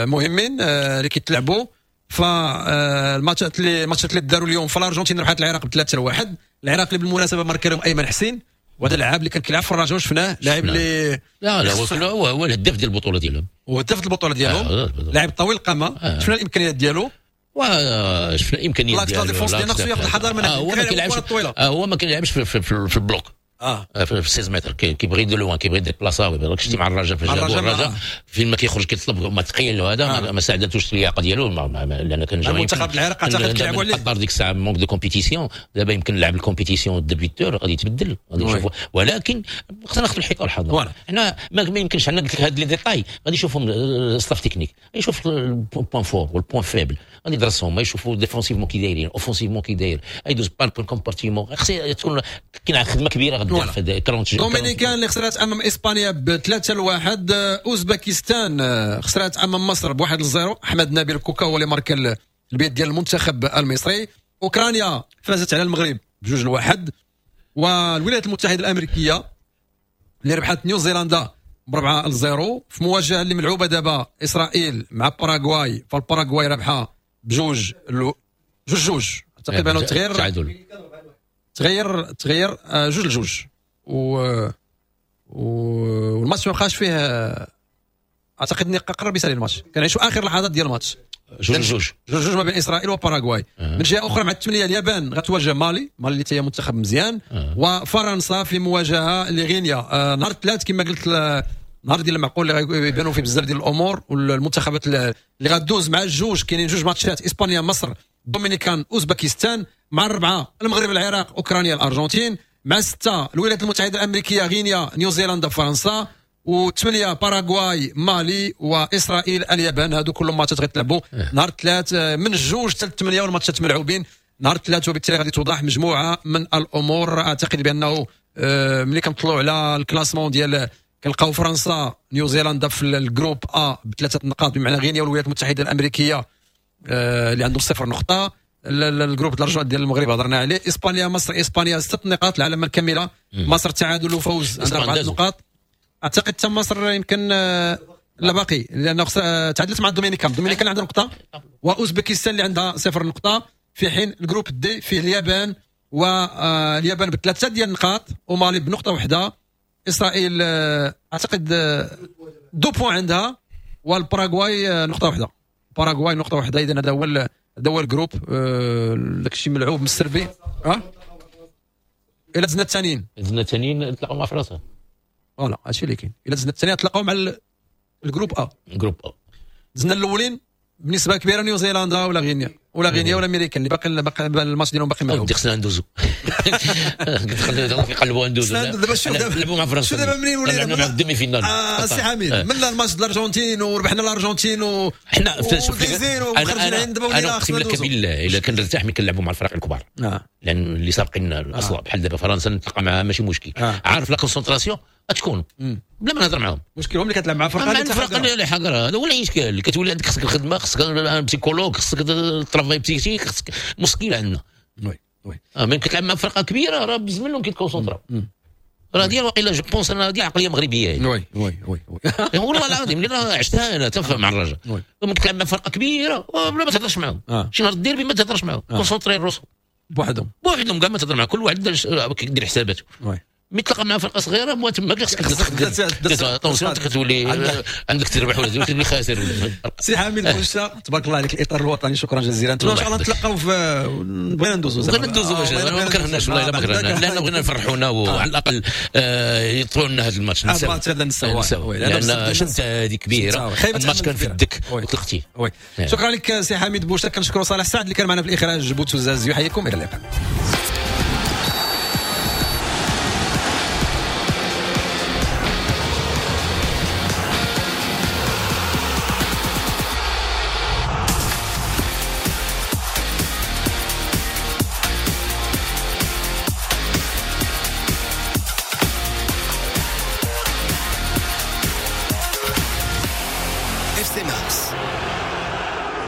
مهمين اللي كيتلعبوا، فالماتشات اللي الماتشات اللي داروا اليوم، فالارجنتين ربحت العراق بثلاثة لواحد. العراق اللي بالمناسبة ماركا لهم ايمن حسين، وهذا اللاعب اللي كان كيلعب في الرجاء شفناه لاعب اللي لا لا هو هو الهداف ديال البطولة ديالهم، هو هداف البطولة ديالهم، آه لاعب طويل القامة، آه. شفنا الامكانيات ديالو وشفنا الامكانيات ديالو. la défense ديالنا خصو ياخذ الحذر من آه هو ما كيلعبش آه هو ما كيلعبش في, في, في, في ال bloc، اه في ستة متر، كيبغي de loin، كيبغي déplacer. راك شتي مع الرجاء فاش جابوا الرجاء فين ما كيخرج كيطلب ما ثقيل، وهذا ما ساعدتوش اللياقة ديالو، لان كان جاي المنتخب العراق اعتقد كيلعبوا عليه قدر ديك الساعة manque de compétition. دابا يمكن لعب ال compétition débuteur غادي يتبدل، غادي نشوفوا، ولكن خصنا ناخذ الحيطة والحذر. حنا ما يمكنش عندنا قلت لك هاد les détails غادي يشوفهم staff technique، يشوف ال points forts وال points faibles، غادي يدرسهم، يشوفوا défensivement كي دايرين، offensivement كي داير، يدوز par compartiment. خص تكون كاين خدمة كبيرة غدا في دومينيكان اللي خسرت امام اسبانيا بثلاثة لواحد. اوزبكستان خسرت امام مصر بواحد لزيرو، احمد نبيل كوكا هو اللي ماركا البيت ديال المنتخب المصري. اوكرانيا فازت على المغرب بجوج لواحد. والولايات المتحدة الامريكية اللي ربحت نيوزيلندا بربعة لزيرو. في مواجهة اللي ملعوبه دابا اسرائيل مع باراغواي، فالباراغواي ربحها بجوج جوج جوج تقريبا، تغير تعادل تغير تغير جوج لجوج، و والماتش ما بقاش فيه، اعتقد اني قرب يسالي الماتش، كنعيشوا اخر لحظات ديال الماتش. جوج جوج جوج جوج ما بين اسرائيل وباراغواي. أه. من جهة اخرى مع الثمانية اليابان غتواجه مالي، مالي اللي هي منتخب مزيان. أه. وفرنسا في مواجهة لغينيا. آه نهار الثلاث كما قلت، نهار ديال المعقول اللي غيبانوا فيه بزاف ديال الامور، والمنتخبات اللي غدوز مع الجوج كاينين جوج ماتشات، اسبانيا مصر، دومينيكان اوزبكستان. مع الربعه المغرب العراق اوكرانيا الارجنتين. مع ستة الولايات المتحدة الامريكية غينيا نيوزيلندا فرنسا. وثمانية باراغواي مالي واسرائيل اليابان. هادو كلهم ماتشات غيتلعبوا نهار الثلاث من الجوج حتى الثمانية، والماتشات ملعوبين نهار الثلاث، وبالتالي غادي توضح مجموعة من الامور. اعتقد بانه ملي كنطلعوا على ال classement ديال كنلقاو فرنسا نيوزيلندا في ال groupe A بثلاثة نقاط، بمعنى غينيا والولايات المتحدة الامريكية اللي عندهم صفر نقطة. ال groupe الارجنتين ديال المغرب هضرنا عليه. اسبانيا مصر، اسبانيا ست نقاط العلامة الكاملة، مصر تعادل وفوز عندها اربعة نقاط. اعتقد حتى مصر يمكن لا باقي، لانه تعادلت مع الدومينيكان، الدومينيكان عندها نقطة واوزبكستان اللي عندها صفر نقطة، في حين ال groupe D فيه اليابان، واليابان بثلاثة ديال النقاط ومالي بنقطة واحدة. اسرائيل اعتقد deux points عندها، والباراغواي نقطة واحدة. باراغواي نقطة واحدة. اذا هذا هو هذا هو ال groupe، داك الشيء ملعوب من السربي. ها الا دزنا الثانيين دزنا الثانيين نتلاقاو مع فرنسا. voilà هادشي اللي كاين. الا دزنا الثانيين نتلاقاو مع ال groupe A. groupe A دزنا الاولين بنسبة كبيرة نيوزيلندا ولا غينيا ولا غينيا ولا امريكا اللي باقي باقي الماتش ديالهم باقي ملعوب. خصنا ندوزو يقلبوا ندوزو دابا. شوف دابا مع فرنسا، شوف دابا منين ولينا مع ال demi-finale. آه سي حميد، من الماتش ديال الارجنتين وربحنا الارجنتين و حنا شوف انا انا اقسم لك بالله الا كنرتاح ملي كنلعبوا مع الفرق الكبار، لان اللي سابقين الاصل بحال دابا فرنسا نتلاقى معاها ماشي مشكل، عارف la concentration تكون بلا ما نهضر معاهم. مشكل هم اللي كتلعب مع فرقه مع الفرق اللي حقره. هذا هو الاشكال، كتولي عندك خصك الخدمة، خصك psychologue، خصك travail psychique، خصك مشكل عندنا. oui oui اه من كتلعب مع فرقه كبيرة راه بزاف منهم كيتكونسونطراو. راه ديال واقيلا je pense انا ديال عقلية مغربية. oui oui oui oui والله العظيم اللي راه عشتها انا تفهم مع الرجاء. ملي كتلعب مع فرقه كبيرة بلا ما تهضرش معاهم، شي نهار الديربي ما تهضرش معاهم، concentrer راسهم بوحدهم بوحدهم كاع ما تهضر معاهم، كل واحد كيدير حساباته. oui ملي تلقى مع فرقه صغيرة مو تما خصك تخدم attention، كتولي عندك تربح ولا تولي خاسر. سي حميد بوشا تبارك الله عليك، الاطار الوطني شكرا جزيلا. ان شاء الله نتلاقاو في بغينا ندوزو بغينا ندوزو ما كرهناش والله الا ما كرهناش، لان بغينا نفرحونا وعلى الاقل يطلعوا لنا هذا الماتش. هذا الماتش هذا نساو، لان شمسه هذه كبيرة، الماتش كان في الدك وطلقتيه. شكرا لك سي حميد بوشا. كنشكروا صالح سعد اللي كان معنا في الاخراج، بوتوزاز يحييكم، الى اللقاء. اف سي مارس.